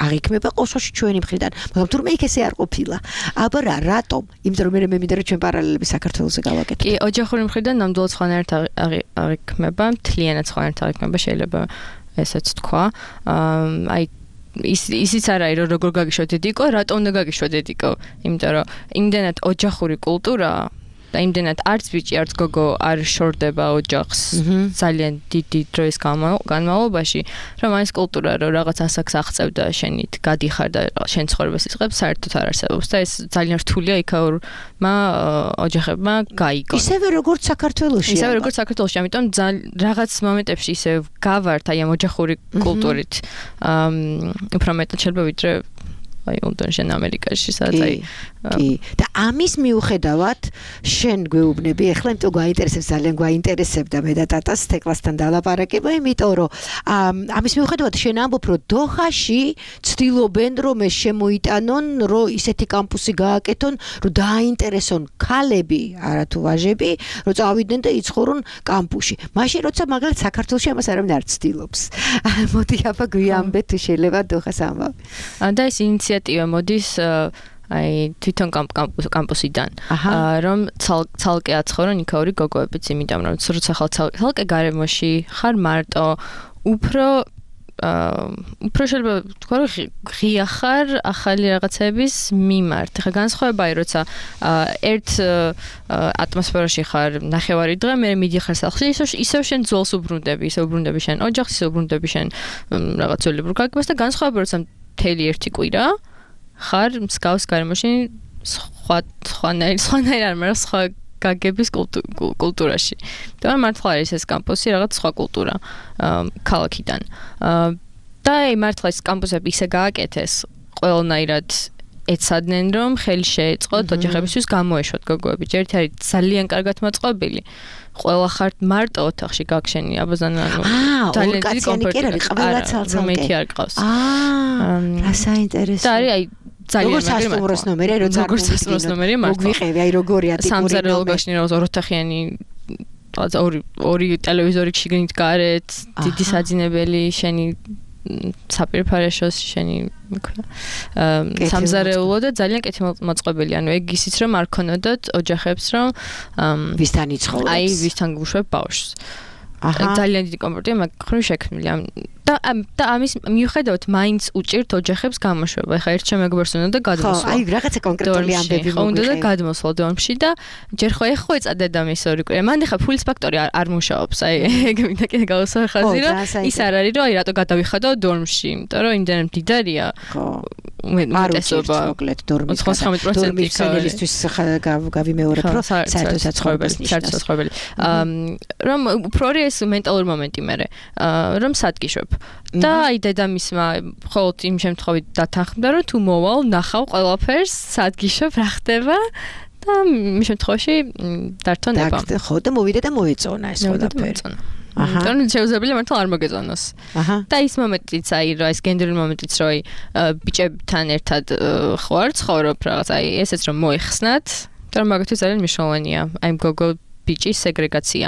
აღიქმება ყოველში ჩვენი მხრიდან, მაგრამ თურმე იქ ესე არ ყოფილა. აბა რა, რატომ? იმიტომ რომ მე მინდა რომ ჩვენ პარალელები საქართველოსზე გავაკეთოთ. კი, ოჯახური მხრიდან ნამდვილად სხვანაირად აღიქმება, მთლიანად სხვანაირად აღიქმება შეიძლება ესეც თქვა. აი ის ისიც არ არის რომ როგორ გაგიშვა დედიკო, რატომ უნდა გაგიშვა დედიკო? იმიტომ რომ იმდენად ოჯახური კულტურაა და იმდენად არც ბიჭი არც გოგო არ შორდება ოჯახს ძალიან დიდი დროის განმავლობაში რომ այս კულტურა რომ რაღაც ასაკს აღწევ და შენით გადიხარ და შენ ცხოვრებას იწყებ საერთოდ არ არსებობს და ეს ძალიან რთულია იქაურმა ოჯახებმა გაიგონ ისევე როგორც საქართველოში ისევე როგორც საქართველოში ამიტომ რაღაც მომენტებში ისე გავართ აი ამ ოჯახური კულტურით უფრო მეტად შეიძლება ვიდრე აი ლონდონში ან ამერიკაში სადაც აი კი და ამის მიუხედავად შენ გვეუბნები ახლა იმიტომ გვაინტერესებს ძალიან გვაინტერესებდა მე და ტატას თეკლასთან დალაპარაკება იმიტომ რომ ამის მიუხედავად შენ ამბობ რომ დოხაში ცდილობენ რომ ეს შემოიტანონ რომ ისეთი კამპუსი გააკეთონ რომ დააინტერესონ ქალები არათუ ვაჟები რომ წავიდნენ და იცხოვრონ კამპუსში მაშინ როცა მაგალითად საქართველოში ამას არავინ არ ცდილობს მოდი აბა გვიამბე თუ შეიძლება დოხას ამბავ და ეს ინიციატივა მოდის აი თვითონ კამპუსიდან რომ ცალკე აცხოვრონ იქაური გოგოებიც იმიტომ რომ როცა ხალ ცალკე გარემოში ხარ მარტო უფრო უფრო შეიძლება თქვა რომ ღია ხარ ახალი რაღაცების მიმართ. ხა განსხვავებაა, როცა ერთ ატმოსფეროში ხარ ნახევარი დღე, მე მიდიხარ სახლში, ისევ შენ ძოლს უბრუნდები, ისევ უბრუნდები შენ ოჯახს, ისევ უბრუნდები შენ რაღაც ძოლებურ გაგებას და განსხვავება, როცა მთელი ერთი კვირა ხარ მსგავს გარემოში სხვა სხვანაირ სხვანაირ არ მაგრამ სხვა გაგების კულტურაში. და მართლა არის ეს კამპუსი რაღაც სხვა კულტურა ქალაქიდან. და მართლა ეს კამპუსები ისე გააკეთეს ყველანაირად ეცადნენ რომ ხელი შეეწყოთ ოჯახებისთვის გამოეშვათ გოგოები. ჯერ ერთი არის ძალიან კარგად მოწყობილი. ყველა ხარ მარტო ოთახში გაგშენი აბაზანა ანუ ძალიან დიდი კომფორტი არის ყველა ცალ-ცალკე. რომეთი არ ყავს. აა რა საინტერესო. და არის აი ძალიან მაგარი სასტუმროს ნომერი, როცა როგორ სასტუმროს ნომერი მართლა. მოგვიყევი, აი როგორია ტიპური ნომერი. სამზარეულო გაშენი რაღაც ორ ოთახიანი რაღაც ორი ორი ტელევიზორი შიგნით გარეთ, დიდი საძინებელი, შენი საპირფარეშოს შენი სამზარეულო და ძალიან კეთილ მოწყობილი. ანუ ეგ ისიც რომ არ ქონოდოთ ოჯახებს რომ ვისთან იცხოვრებს. აი ვისთან გუშვებ ბავშვს. ძალიან დიდი კომფორტია მაგ ხრივ შექმნილი. და და ამის მიუხედავად მაინც უჭირთ ოჯახებს გამოშვება. ეხლა ერთ შემეგობრს უნდა და გადმოსვლა. ხო, აი რაღაცა კონკრეტული ამბები მოგვიყევი. უნდა და გადმოსვლა დომში და ჯერ ხო ეხო ეცა დედამის ორი კვირა. მან ეხლა ფულის ფაქტორი არ არ მუშაობს. აი ეგ მინდა კიდე გავუსვა ხაზი რომ ის არ არის რომ აი რატო გადავიხადო დორმში, იმიტომ რომ იმდენ მდიდარია. ხო. უმეტესობა მოკლედ დორმის ოცდათხმეტ პროცენტი მშენელისთვის გავიმეორებ რომ საერთო საცხოვრებელს ნიშნავს. საერთო საცხოვრებელი. რომ უფრო ეს მენტალური მომენტი მე რომ სადგიშვებ. და აი დედამისმა მხოლოდ იმ შემთხვევით დათანხმდა რომ თუ მოვალ ნახავ ყველაფერს სადგიშვებ რა ხდება და იმ შემთხვევაში დართონება. ხო და მოვიდა და მოეწონა ეს ყველაფერი. აჰა. და შეუძლებელია მართლა არ მოგეწონოს. აჰა. და ის მომენტიც აი რა ეს გენდერული მომენტიც რომ აი ბიჭებთან ერთად ხوار ცხოვრობ რაღაც აი ესეც რომ მოიხსნათ და რომ მაგათთვის ძალიან მნიშვნელოვანია აი გოგო ბიჭის სეგრეგაცია.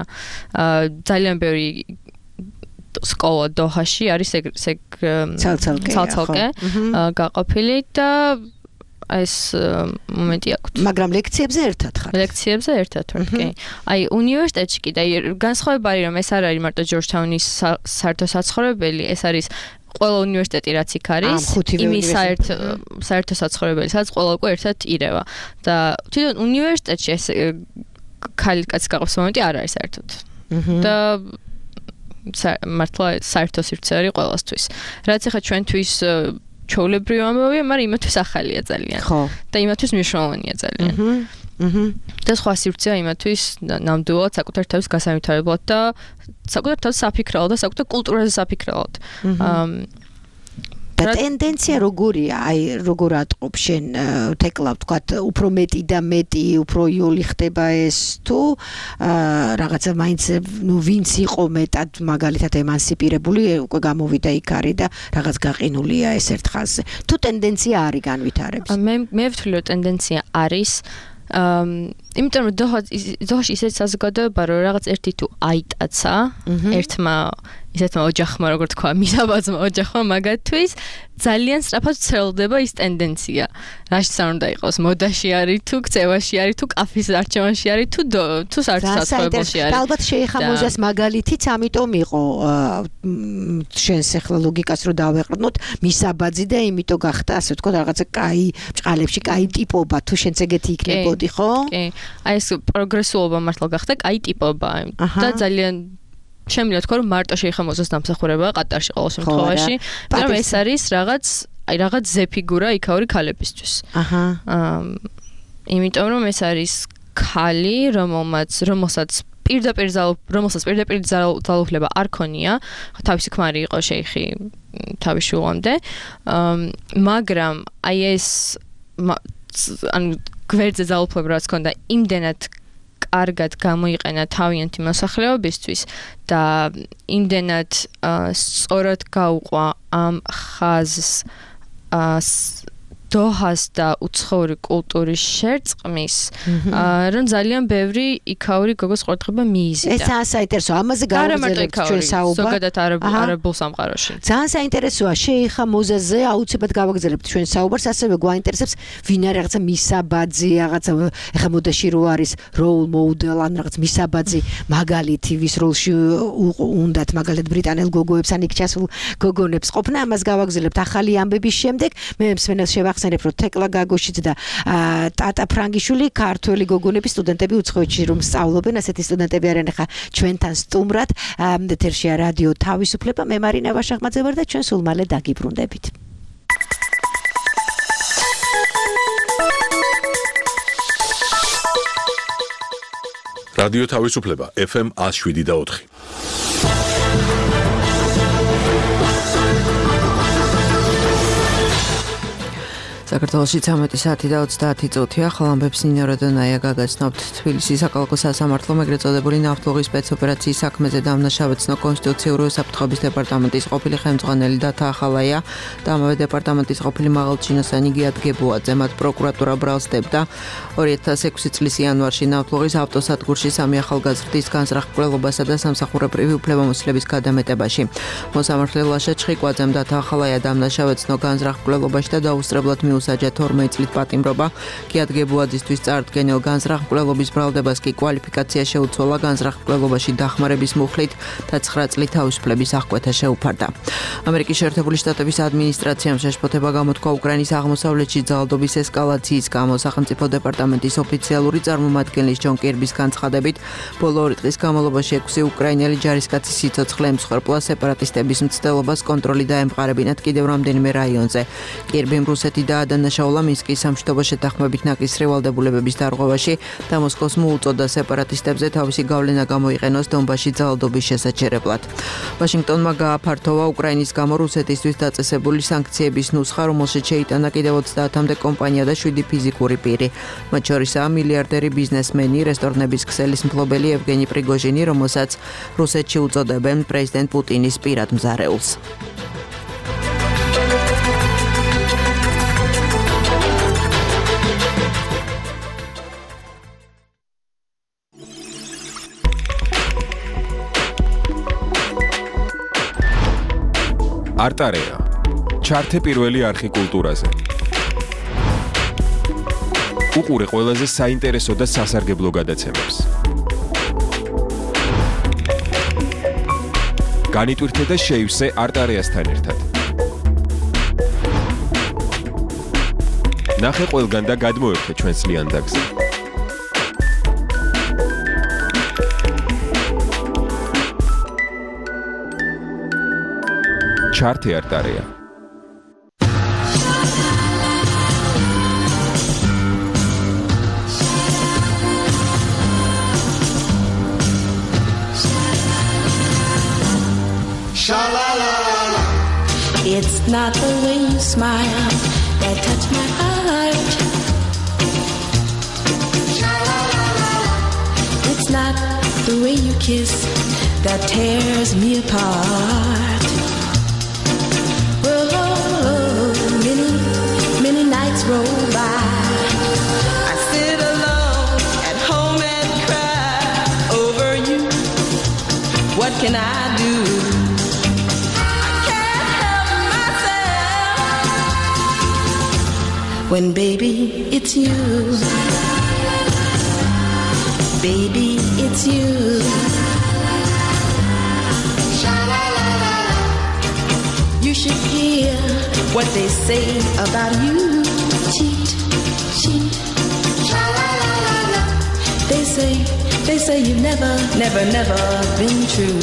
ძალიან ბევრი სკოლა დოჰაში არის ეგ ცალ-ცალკე ცალ-ცალკე გაყოფილი და ეს მომენტი აქვს. მაგრამ ლექციებზე ერთად ხარ. ლექციებზე ერთად ვარ, კი. აი უნივერსიტეტში კიდე განსხვავება არის რომ ეს არ არის მარტო ჯორჯთაუნის საერთო საცხოვრებელი, ეს არის ყველა უნივერსიტეტი რაც იქ არის, იმის საერთო საერთო საცხოვრებელი, სადაც ყველა უკვე ერთად ირევა. და თვითონ უნივერსიტეტში ეს ქალი კაცი გაყოს მომენტი არ არის საერთოდ. და მართლა საერთო სივრცე არის ყველასთვის. რაც ახლა ჩვენთვის ჩვეულებრივი ამბავია, მაგრამ იმათვის ახალია ძალიან. ხო. და იმათვის მნიშვნელოვანია ძალიან. აჰა. და სხვა სივრცეა იმათვის ნამდვილად საკუთარ თავს გასავითარებლად და საკუთარ თავს საფიქრალად და საკუთარ კულტურაზე საფიქრალად. აა და ტენდენცია როგორია? აი როგორ ატყობ შენ თეკლავ თქვა უფრო მეტი და მეტი უფრო იოლი ხდება ეს თუ რაღაცა მაინც ნუ ვინც იყო მეტად მაგალითად ემანსიპირებული უკვე გამოვიდა იქ არის და რაღაც გაყინულია ეს ერთ ხაზზე. თუ ტენდენცია არის განვითარების. მე მე ვთვლი რომ ტენდენცია არის აა იმიტომ რომ დოჰაში ისეთ საზოგადოება რომ რაღაც ერთი თუ აიტაცა ერთმა ისეთმა ოჯახმა როგორ თქვა მისაბაძმა ოჯახმა მაგათთვის ძალიან სწრაფად ცელდება ის ტენდენცია რაშიც არ უნდა იყოს მოდაში არის თუ ქცევაში არის თუ კაფის არჩევანში არის თუ თუ საერთო საცხოვრებელში არის და ალბათ შეიხამოზას მაგალითიც ამიტომ იყო შენს ახლა ლოგიკას რო დავეყრდნოთ მისაბაძი და იმიტომ გახდა ასე ვთქვა რაღაცა კაი ბჭყალებში კაი ტიპობა თუ შენც ეგეთი იქნებოდი ხო კი აი ეს პროგრესულობა მართლა გახდა კაი ტიპობა და ძალიან შემიძლია თქვა რომ მარტო შეიხამოზოს დამსახურება ყატარში ყოველ შემთხვევაში მაგრამ ეს არის რაღაც აი რაღაც ზეფიგურა იქაური ქალებისთვის აჰა იმიტომ რომ ეს არის ქალი რომელმაც რომელსაც პირდაპირ რომელსაც პირდაპირ ძალაუფლება არ ქონია თავისი ქმარი იყო შეიხი თავის შულამდე მაგრამ აი ეს ანუ გვერდზე ძალაუფლება რაც ქონდა იმდენად კარგად გამოიყენა თავიანთი მოსახლეობისთვის და იმდენად სწორად გაუყვა ამ ხაზს დოჰას და უცხოური კულტურის შერწყმის, რომ ძალიან ბევრი იქაური გოგოს ყურადღება მიიზიდა. ეს ძალიან საინტერესო. ამაზე გავაგრძელებთ ჩვენ საუბარს. ზოგადად არაბულ სამყაროში. ძალიან საინტერესოა. შეიხა მოზაზე აუცილებლად გავაგრძელებთ ჩვენ საუბარს, ასევე გვაინტერესებს ვინ არის რაღაცა მისაბაძი, რაღაცა ეხა მოდაში რო არის role model ან რაღაც მისაბაძი მაგალითი ვის როლში უნდათ მაგალითად ბრიტანელ გოგოებს ან იქ ჩასულ გოგონებს ყოფნა, ამას გავაგრძელებთ ახალი ამბების შემდეგ. მე მსმენელს შევახსენებ, რომ თეკლა გაგოშიც და ტატა ფრანგიშვილი ქართველი გოგონების სტუდენტები უცხოეთში რომ სწავლობენ, ასეთი სტუდენტები არიან ახლა ჩვენთან სტუმრად. ეთერშია რადიო თავისუფლება, მე მარინა ვაშახმაძე ვარ და ჩვენ სულ მალე დაგიბრუნდებით. რადიო თავისუფლება ეფ ემ one oh seven და four. საქართველოში ცამეტი საათი და ოცდაათი წუთია. ხალამბებს ნინო როდონაია გაგაცნობთ. თბილისის საკალათო სასამართლომ ეგრეთ წოდებული ნავთლუღის სპეცოპერაციის საქმეზე დამნაშავედ ცნო კონსტიტუციური უსაფრთხოების დეპარტამენტის ყოფილი ხელმძღვანელი დათა ახალაია და ამავე დეპარტამენტის ყოფილი მაღალჩინოსანი გიად გებუაძე. მათ პროკურატურა ბრალსდებდა ორი ათას ექვსი წლის იანვარში ნავთლუღის ავტოსადგურში სამი ახალგაზრდის განზრახ-მკვლელობასა და სამსახურებრივი უფლებამოსილების გადამეტებაში. მოსამართლე ლაშა ჩხიკვაძემ დათა ახალაია დამნაშავედ ცნო განზრახ-მკვლელობაში და დაუსწრებლად მიუსაჯა თორმეტ წლით პატიმრობა. გიად გებუაძისთვის წარდგენილ განზრახ-მკვლელობის ბრალდებას კი კვალიფიკაცია შეუცვალა განზრახ-მკვლელობაში დახმარების მუხლით და ცხრა წლით თავისუფლების აღკვეთა შეუფარდა. ამერიკის შეერთებული შტატების ადმინისტრაციამ შეშფოთება გამოთქვა უკრაინის აღმოსავლეთში ძალადობის ესკალაციის გამო. სახელმწიფო დეპარტამენტის ოფიციალური წარმომადგენლის ჯონ კირბის განცხადებით, ბოლო ორი დღის განმავლობაში ექვსი უკრაინელი ჯარისკაცის სიცოცხლე ემსხვერპლა სეპარატისტების მცდელობას კონტროლი დაემყარებინათ კიდევ რამდენიმე რაიონზე. კირბიმ რუსეთი და დანაშაულა მინსკის სამშვიდობო შეთანხმებით ნაკისრი ვალდებულებების დარღვევაში და მოსკოვს მოუწოდა სეპარატისტებზე თავისი გავლენა გამოიყენოს დონბასში ძალადობის შესაჩერებლად. ვაშინგტონმა გააფართოვა უკრაინის გამო რუსეთისთვის დაწესებული სანქციების ნუსხა, რომელშიც შეიტანა კიდევ ოცდაათამდე კომპანია და შვიდი ფიზიკური პირი. მათ შორისაა მილიარდერი ბიზნესმენი, რესტორნების ქსელის მფლობელი ევგენი პრიგოჟინი, რომელსაც რუსეთში უწოდებენ პრეზიდენტ პუტინის პირად მზარეულს. არტარეა. ჩართე პირველი არხი კულტურაზე. უყურე ყველაზე საინტერესო და სასარგებლო გადაცემებს. განიტვირთე და შეივსე არტარეასთან ერთად. ნახე ყველგან და გადმოერთე ჩვენს ლიანდაგზე. ჩართე არტარეა. It's not the way you smile that touch my heart. It's not the way you kiss that tears me apart. Well, oh, many, many nights roll by. I sit alone at home and cry over you. What can I do? When baby, it's you. Baby, it's you. You should hear what they say about you. Cheat, cheat. They say, they say you've never, never, never been true.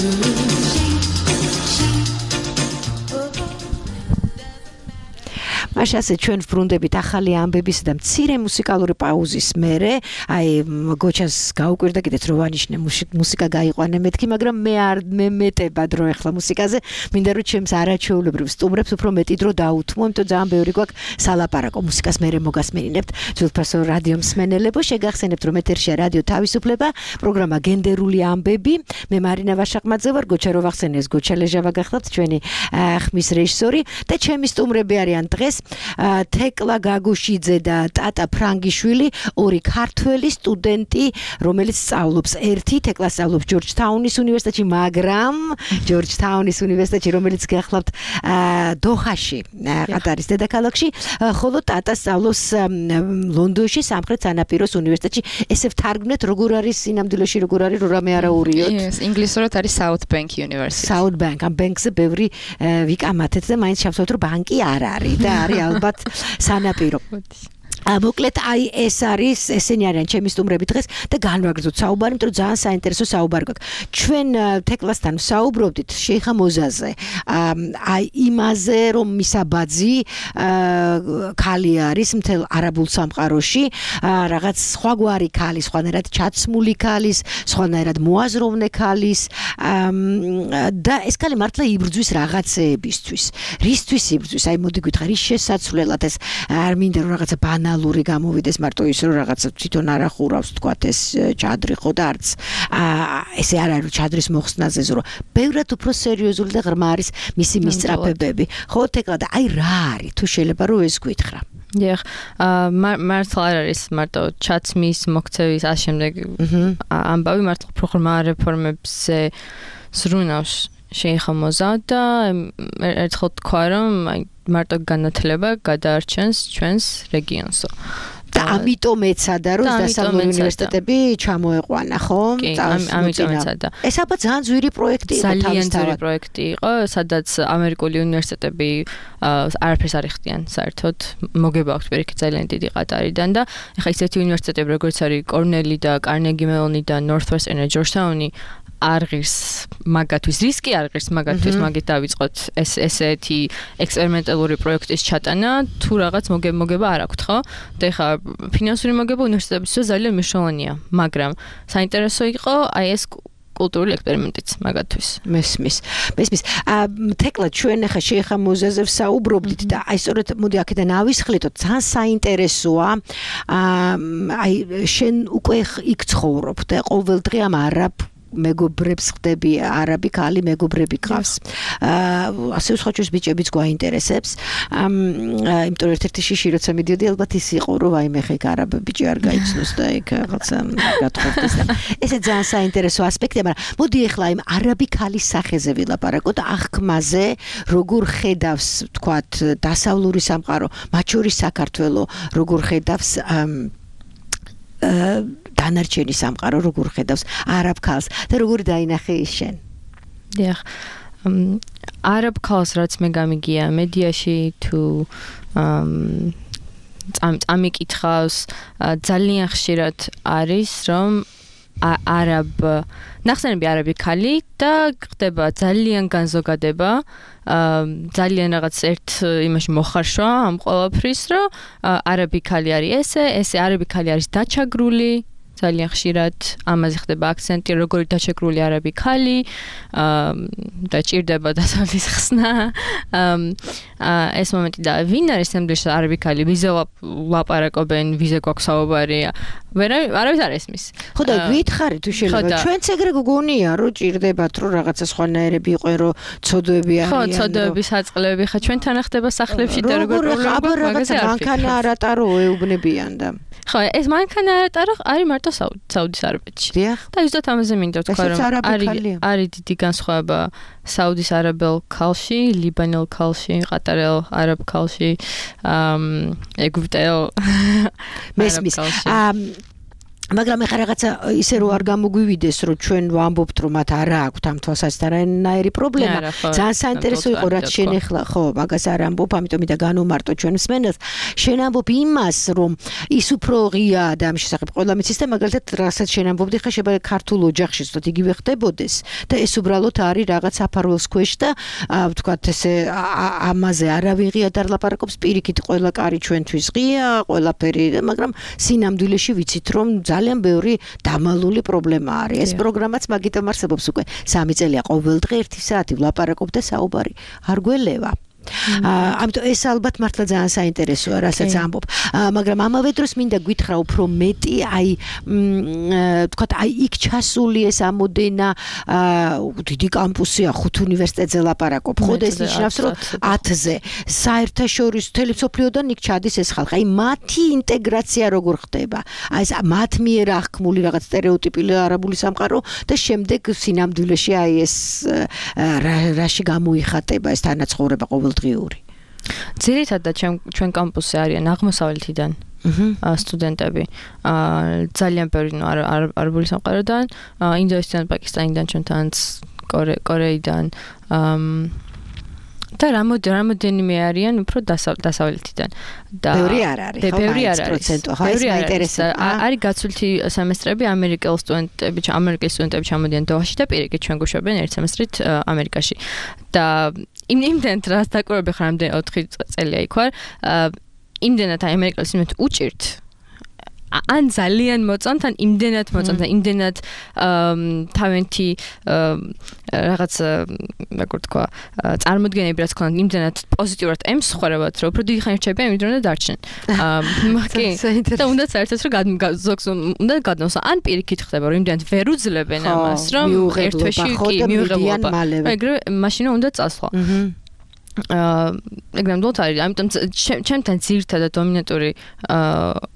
მაშასე ჩვენ ვბრუნდებით ახალი ამბების და მცირე მუსიკალური პაუზის მერე, აი გოჩას გაუკვირდა კიდეც რო ვანიშნე მუსიკა გაიყვანე მეთქი, მაგრამ მე არ მე მეტება დრო ახლა მუსიკაზე, მინდა რომ ჩემს არაჩვეულებრივ სტუმრებს უფრო მეტი დრო დაუთმო, იმიტომ ძალიან ბევრი გვაქვს სალაპარაკო მუსიკას მერე მოგასმენინებთ. ძვირფასო რადიო მსმენელებო, შეგახსენებთ რომ ეთერშია რადიო თავისუფლება, პროგრამა გენდერული ამბები. მე მარინა ვაშახმაძე ვარ, გოჩა რო ვახსენეს, გოჩა ლეჟავა გახლავთ ჩვენი ხმის რეჟისორი და ჩემი სტუმრები არიან დღეს თეკლა გაგუშიძე და ტატა ფრანგიშვილი, ორი ქართველი სტუდენტი, რომელიც სწავლობს ერთი თეკლა სწავლობს ჯორჯთაუნის უნივერსიტეტში, მაგრამ ჯორჯთაუნის უნივერსიტეტში, რომელიც გახლავთ დოხაში, ყატარის დედაქალაქში, ხოლო ტატა სწავლობს ლონდონში, სამხრეთ სანაპიროს უნივერსიტეტში. ესე ვთარგმნეთ, როგორ არის სინამდვილეში, როგორ არის რო რამე არაურიოთ. Yes, ინგლისურად არის South Bank University. South Bank, ამ ბანკზე ბევრი ვიკამათეთ და მაინც შევსვათ, რომ ბანკი არ არის და არის ალბათ სანაპირო. მოკლედ აი ეს არის ესენი არიან ჩემი სტუმრები დღეს და განვაგრძოთ საუბარი, იმიტომ რომ ძალიან საინტერესო საუბარი გვაქვს. ჩვენ თეკლასთან ვსაუბრობდით შეიხა მოზაზე. აი იმაზე, რომ მისაბაძი ქალი არის მთელ არაბულ სამყაროში, რაღაც სხვაგვარი ქალი, სხვანაირად ჩაცმული ქალის, სხვანაირად მოაზროვნე ქალის და ეს ქალი მართლა იბრძვის რაღაცეებისთვის. რისთვის იბრძვის? აი მოდი გითხრა, რის შესაძლებლად ეს არ მინდა რომ რაღაცა ბანალ ლური გამოვიდეს მარტო ის რომ რაღაცა თვითონ არ ახურავს თქვათ ეს ჩადრი ხო და არც ესე არ არის ჩადრის მოხსნაზე ზრო ბევრად უფრო სერიოზული და ღრმა არის მისი მისწრაფებები ხო თეკლა და აი რა არის თუ შეიძლება რომ ეს გითხრა დიახ მართლა არ არის მარტო ჩაცმის მოქცევის ამ შემდეგ ამბავი მართლა უფრო ღრმა რეფორმებზე ზრუნავს შეიხა მოზა და ერთხელ თქვა რომ აი მარტო განათლება გადაარჩენს ჩვენს რეგიონსო. და ამიტომ ეცადა რომ დასავლური უნივერსიტეტები ჩამოეყვანა, ხო? კი, ამიტომ ეცადა. ეს აბა ძალიან ძვირი პროექტი იყო თავისთავად. ძალიან ძვირი პროექტი იყო, სადაც ამერიკული უნივერსიტეტები არაფერს არ იხდიან საერთოდ. მოგება აქვს პირიქით ძალიან დიდი ყატარიდან და ეხლა ისეთი უნივერსიტეტები როგორც არის კორნელი და კარნეგი მელონი და Northwestern და ჯორჯთაუნი არ ღირს მაგათვის რისკი არ ღირს მაგათვის მაგით დავიწყოთ ეს ესეთი ექსპერიმენტალური პროექტის ჩატანა თუ რაღაც მოგება არ აქვს ხო და ეხლა ფინანსური მოგება უნივერსიტეტებისთვის ძალიან მნიშვნელოვანია მაგრამ საინტერესო იყო აი ეს კულტურული ექსპერიმენტიც მაგათვის მესმის მესმის თეკლა ჩვენ ახლა შეიხა მოზაზე ვსაუბრობდით და აი სწორედ მოდი აქედან ავისხლეთოთ ძალიან საინტერესოა აი შენ უკვე იქ ცხოვრობ და ყოველდღე ამ არაბ მეგობრებს ხდები არაბი ქალი მეგობრები გყავს ასე ვსხოჩოს ბიჭებიც გვაინტერესებს იმიტომ ერთ-ერთი შიში როცა მიდიოდი ალბათ ის იყო რომ აი მე ხე არაბი ბიჭი არ გაიცნოს და იქ რაღაცა გათხოვდეს და ესე ძალიან საინტერესო ასპექტია მაგრამ მოდი ახლა იმ არაბი ქალის სახეზე ვილაპარაკოთ აღქმაზე როგორ ხედავს თქვათ დასავლური სამყარო მათ შორის საქართველო როგორ ხედავს დანარჩენი სამყარო როგორ ხედავს არაბ ქალს და როგორ დაინახე ის შენ? დიახ. არაბ ქალს რაც მე გამიგია მედიაში თუ ამიკითხავს ძალიან ხშირად არის რომ არაბ ნახსენები არაბი ქალი და ხდება ძალიან განზოგადება ძალიან რაღაც ერთ იმაში მოხარშვა ამ ყველაფრის რომ არაბი ქალი არის ესე ესე არაბი ქალი არის დაჩაგრული ძალიან ხშირად ამაზე ხდება აქცენტი როგორი დაჩაგრული არაბი ქალი და ჭირდება დასავლეთის ხსნა ეს მომენტი და ვინ არის სამდრიშ არაბი ქალი ვიზე ლაპარაკობენ ვიზე გვაქვს საუბარი არავის არ ესმის ხო და გითხარი თუ შეიძლება ჩვენც ეგრე გგონია რომ ჭირდებათ რომ რაღაცა სხვანაირები იყვენ რომ ცოდვები არიან ხო ცოდვების აწყლები ხა ჩვენთან ხდება სახლებში და როგორ პრობლემა მაგაზე მანქანა არატარო ეუბნებიან და ხო ეს მანქანა არატარო არის მარტო საუდის არაბეთში და ზუსტად ამაზე მინდა თქვა რომ არის არის დიდი განსხვავება საუდის არაბელ ქალში ლიბანელ ქალში ყატარელ არაბ ქალში ეგვიპტელ მესმის მაგრამ ეხლა რაღაცა ისე რომ არ გამოგვივიდეს რომ ჩვენ ვამბობთ რომ მათ არ აქვს ამ თვალსაზრისით არანაირი პრობლემა ძალიან საინტერესო იყო რაც შენ ეხლა ხო მაგას არ ამბობ ამიტომ და განუმარტო ჩვენ მსმენელს შენ ამბობ იმას რომ ის უფრო ღია და ამ შესახებ ყველა მიცის და მაგალითად რასაც შენ ამბობდი ხა შეიძლება ქართულ ოჯახში ზუსტად იგივე ხდებოდეს და ეს უბრალოდ არის რაღაც აფარველს ქვეშ და ვთქვათ ესე ამაზე არავინ ღიად არ ლაპარაკობს პირიქით ყველა კარი ჩვენთვის ღია ყველაფერი მაგრამ სინამდვილეში ვიცით რომ ძალიან ბევრი დამალული პრობლემა არის. ეს პროგრამაც მაგიტომ არსებობს უკვე სამი წელია ყოველდღე ერთი საათი ვლაპარაკობ და საუბარი არ გველევა. ამიტომ ეს ალბათ მართლა ძალიან საინტერესოა, რასაც ამბობ. მაგრამ ამავე დროს მინდა გითხრა უფრო მეტი, აი თქვათ, აი იქ ჩასული ეს ამოდენა დიდი კამპუსია, ხუთ უნივერსიტეტზე ლაპარაკობ. ხო და ეს ნიშნავს, რომ ათზე საერთაშორისო მთელი მსოფლიოდან იქ ჩადის ეს ხალხი. აი მათი ინტეგრაცია როგორ ხდება? აი ეს მათ მიერ აღქმული რაღაც სტერეოტიპული არაბული სამყარო და შემდეგ სინამდვილეში აი ეს რაში გამოიხატება ეს თანაცხოვრება ყოველდღიური. ძირითადად ჩვენ კამპუსზე არიან აღმოსავლეთიდან სტუდენტები. ძალიან ბევრი არაბული სამყაროდან, ინდოეთიდან, პაკისტანიდან, ჩვენთანაც კორეიდან და რამოდენიმე არიან უფრო დასავლეთიდან. ბევრი არ არის, ხო? ბევრი არ არის. პროცენტო, ხო, ეს მაინტერესებს. არის გაცვლითი სემესტრები, ამერიკელ სტუდენტები, ამერიკის სტუდენტები ჩამოდიან დოჰაში და პირიქით ჩვენ გვშვებენ ერთ სემესტრით ამერიკაში. და იმდენად რას დაკვირვები ხარ, ამდენ ოთხი წელია იქ ვარ, იმდენად ამერიკელ სტუდენტ უჭირთ. ან ძალიან მოწონთ, ან იმდენად მოწონთ, იმდენად თავენთი რაღაც როგორ თქვა, წარმოდგენები რაც ქონდათ, იმდენად პოზიტიურად ემსხვერებათ, რომ უფრო დიდი ხანი რჩებიან, იმით რომ და დარჩნენ. კი, და უნდა საერთოდ რომ ზოგს უნდა გადმოსა, ან პირიქით ხდება, რომ იმდენად ვერ უძლებენ ამას, რომ ერთ თვეში კი მიუღებლობა. ეგრევე მაშინ უნდა წასვლა. აა, ეგრევე დოთ არის, ამიტომ ჩემთან ძირითადად დომინანტური აა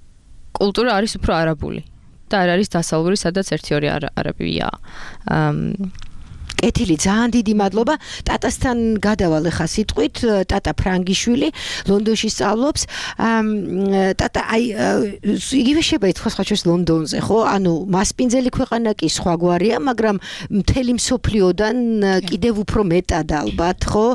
კულტურა არის უფრო არაბული და არ არის დასავლური, სადაც ერთი ორი არაბია. კეთილი, ძალიან დიდი მადლობა. ტატასთან გადავალ ახლა სიტყვით, ტატა ფრანგიშვილი, ლონდონში სწავლობს. ტატა, აი იგივე შეიძლება ითქვას ხა ჩვენს ლონდონზე, ხო? ანუ მასპინძელი ქვეყანა კი სხვაგვარია, მაგრამ მთელი მსოფლიოდან კიდევ უფრო მეტად ალბათ, ხო?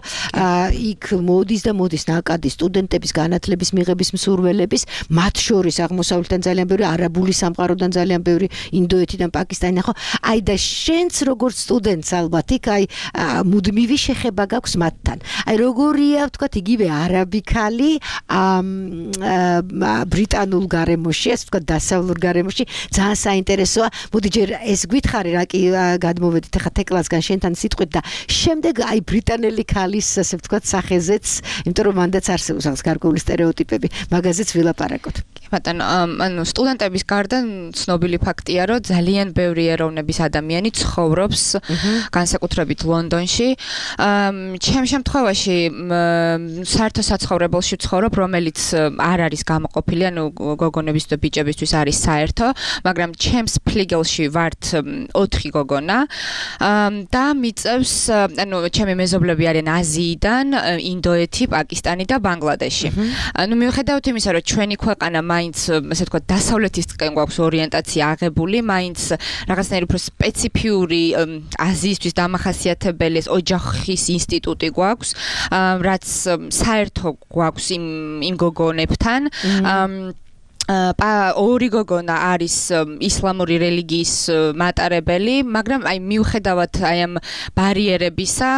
იქ მოდის და მოდის ნაკადი სტუდენტების განათლების მიღების მსურველების, მათ შორის აღმოსავლეთიდან ძალიან ბევრი, არაბული სამყაროდან ძალიან ბევრი, ინდოეთიდან, პაკისტანიდან, ხო? აი და შენც როგორც სტუდენტს ალბათ იქ აი მუდმივი შეხება გაქვს მათთან. აი როგორია ვთქვათ იგივე არაბი ქალი ბრიტანულ გარემოში, ასე ვთქვათ დასავლურ გარემოში, ძალიან საინტერესოა. მოდი ჯერ ეს გითხარი რა კი გადმოვედით ახლა თეკლასგან შენთან სიტყვით და შემდეგ აი ბრიტანელი ქალის ასე ვთქვათ სახეზეც, იმიტომ რომ მანდაც არსებობს რაღაც გარკვეული სტერეოტიპები, მაგაზეც ვილაპარაკოთ. კი ბატონო, ანუ სტუდენტების გარდა ცნობილი ფაქტია, რომ ძალიან ბევრი ეროვნების ადამიანი ცხოვრობს განსაკუთრებით ლონდონში. ჩემ შემთხვევაში საერთო საცხოვრებელში ვცხოვრობ, რომელიც არ არის გამოყოფილი, ანუ გოგონების და ბიჭებისთვის არის საერთო, მაგრამ ჩემს ფლიგელში ვართ ოთხი გოგონა და მიწევს, ანუ ჩემი მეზობლები არიან აზიიდან, ინდოეთი, პაკისტანი და ბანგლადეში. ანუ მიუხედავად იმისა, რომ ჩვენი ქვეყანა მაინც, ასე ვთქვათ, დასავლეთისკენ გვაქვს ორიენტაცია აღებული, მაინც რაღაცნაირი უფრო სპეციფიური აზიისთვის დამახასიათებელი ეს ოჯახის ინსტიტუტი გვაქვს, რაც საერთო გვაქვს იმ იმ გოგონებთან. პა ორი გოგონა არის ისლამური რელიგიის მატარებელი, მაგრამ აი მიუხედავად აი ამ ბარიერებისა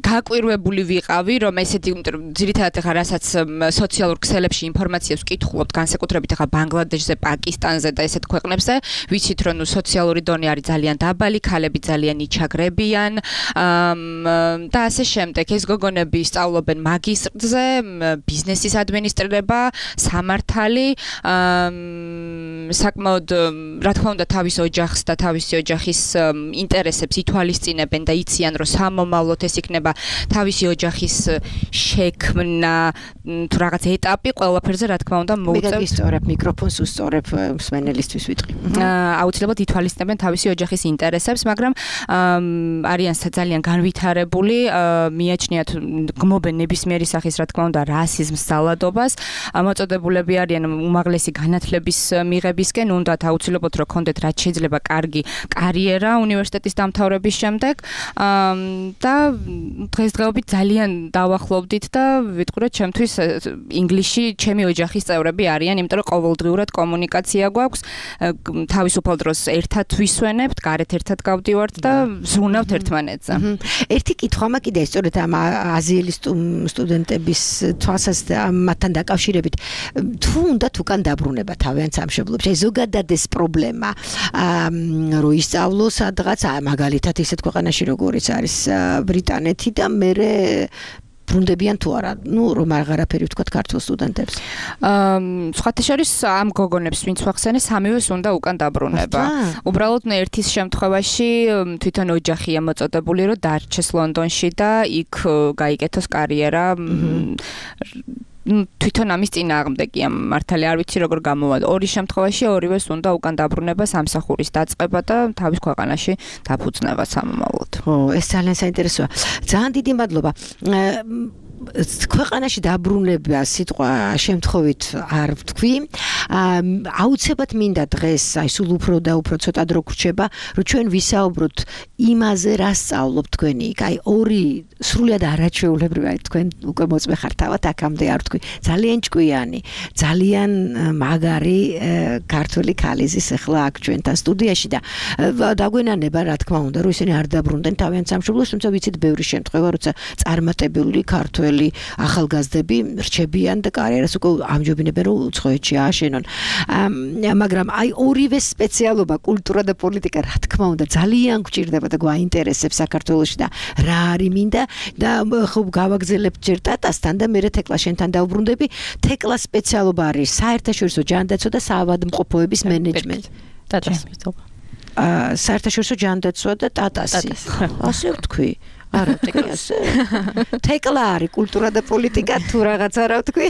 გაკვირვებული ვიყავი, რომ ესეთი, ძირითადად ახლა რასაც სოციალურ ქსელებში ინფორმაციას ვკითხულობთ, განსაკუთრებით ახლა ბანგლადეშზე, პაკისტანზე და ესეთ ქვეყნებზე, ვიცით, რომ ნუ სოციალური დონე არის ძალიან დაბალი, ქალები ძალიან იჩაგრებიან და ასე შემდეგ. ეს გოგონები სწავლობენ მაგისტრზე, ბიზნესის ადმინისტრირება, სამართალი, საკმაოდ, რა თქმა უნდა, თავის ოჯახს და თავისი ოჯახის ინტერესებს ითვალისწინებენ და იციან, რომ სამომავლოდ ეს იქნება თავისი ოჯახის შექმნა თუ რაღაც ეტაპი, ყველაფერზე რა თქმა უნდა მოუწევთ. მე გისწორებ მიკროფონს უსწორებ მსმენელისთვის ვიტყვი. აუცილებლად ითვალისწინებენ თავისი ოჯახის ინტერესებს, მაგრამ არიან ძალიან განვითარებული, მიაჩნიათ გმობენ ნებისმიერი სახის რა თქმა უნდა რასიზმს, ძალადობას, მოწოდებულები არიან უმაღლესი განათლების მიღებისკენ, უნდათ აუცილებლად რომ კონდეთ რაც შეიძლება კარგი კარიერა უნივერსიტეტის დამთავრების შემდეგ და დღესდღეობით ძალიან დავახლოვდით და ვიტყვი რომ ჩემთვის ინგლისში ჩემი ოჯახის წევრები არიან, იმიტომ რომ ყოველდღიურად კომუნიკაცია გვაქვს, თავისუფალ დროს ერთად ვისვენებთ, გარეთ ერთად გავდივართ და ზრუნავთ ერთმანეთზე. ერთი კითხვა მაქვს კიდე, სწორედ ამ აზიელი სტუდენტების თვალსაზრისით მათთან დაკავშირებით, თუ უნდათ უკან დაბრუნება თავიანთ სამშობლოში, აი ზოგადად ეს პრობლემა, რომ ისწავლოს სადღაც, მაგალითად ისეთ ქვეყანაში როგორიც არის ბრიტანეთი, ერთი და მერე ბრუნდებიან თუ არა, ну, რომ აღარაფერი ვთქვათ ქართულ სტუდენტებს. აა, სხვათა შორის ამ გოგონებს ვინც ვახსენე, სამივეს უნდა უკან დაბრუნება. უბრალოდ ერთის შემთხვევაში თვითონ ოჯახი ამოწოდებული, რომ დარჩეს ლონდონში და იქ გაიკეთოს კარიერა. თვითონ ამის წინააღმდეგია მართალი არ ვიცი როგორ გამოვა. ორი შემთხვევაში ორივეს უნდა უკან დაბრუნება, სამსახურის დაწყება და თავის ქვეყანაში დაფუძნება სამომავლოდ. ო, ეს ძალიან საინტერესოა. ძალიან დიდი მადლობა. ქვეყანაში დაბრუნება სიტყვა შემთხვევით არ ვთქვი. აუცილებლად მინდა დღეს, აი სულ უფრო და უფრო ცოტა დრო გრჩება, რომ ჩვენ ვისაუბროთ იმაზე, რა სწავლობთ თქვენი იქ. აი ორი სრულიად არაჩვეულებრივი, აი თქვენ უკვე მოწმე ხართ თავად აქამდე არ ვთქვი. ძალიან ჭკვიანი, ძალიან მაგარი ქართული ქალიზის ახლა აქ ჩვენთან სტუდიაში და დაგვენანება რა თქმა უნდა, რომ ისინი არ დაბრუნდნენ თავიანთ სამშობლოში, თუმცა ვიცით ბევრი შემთხვევა, როცა წარმატებული ქართველი ახალგაზრდები რჩებიან და კარიერას უკვე ამჯობინებენ, რომ უცხოეთში ააშენონ. მაგრამ აი ორივე სპეციალობა, კულტურა და პოლიტიკა, რა თქმა უნდა, ძალიან გვჭირდება და გვაინტერესებს საქართველოში და რა არის მინდა და ხო გავაგზავნებ ჯერ ტატასთან და მერე თეკლას შენთან დავბრუნდები. თეკლას სპეციალობა არის საერთაშორისო ჯანდაცვა და საავადმყოფოების მენეჯმენტი. ტატას მეთქვა. აა საერთაშორისო ჯანდაცვა და ტატასი. ასე ვთქვი. არა, ტეკლასე. თეკლა არის კულტურა და პოლიტიკა თუ რაღაც არა ვთქვი.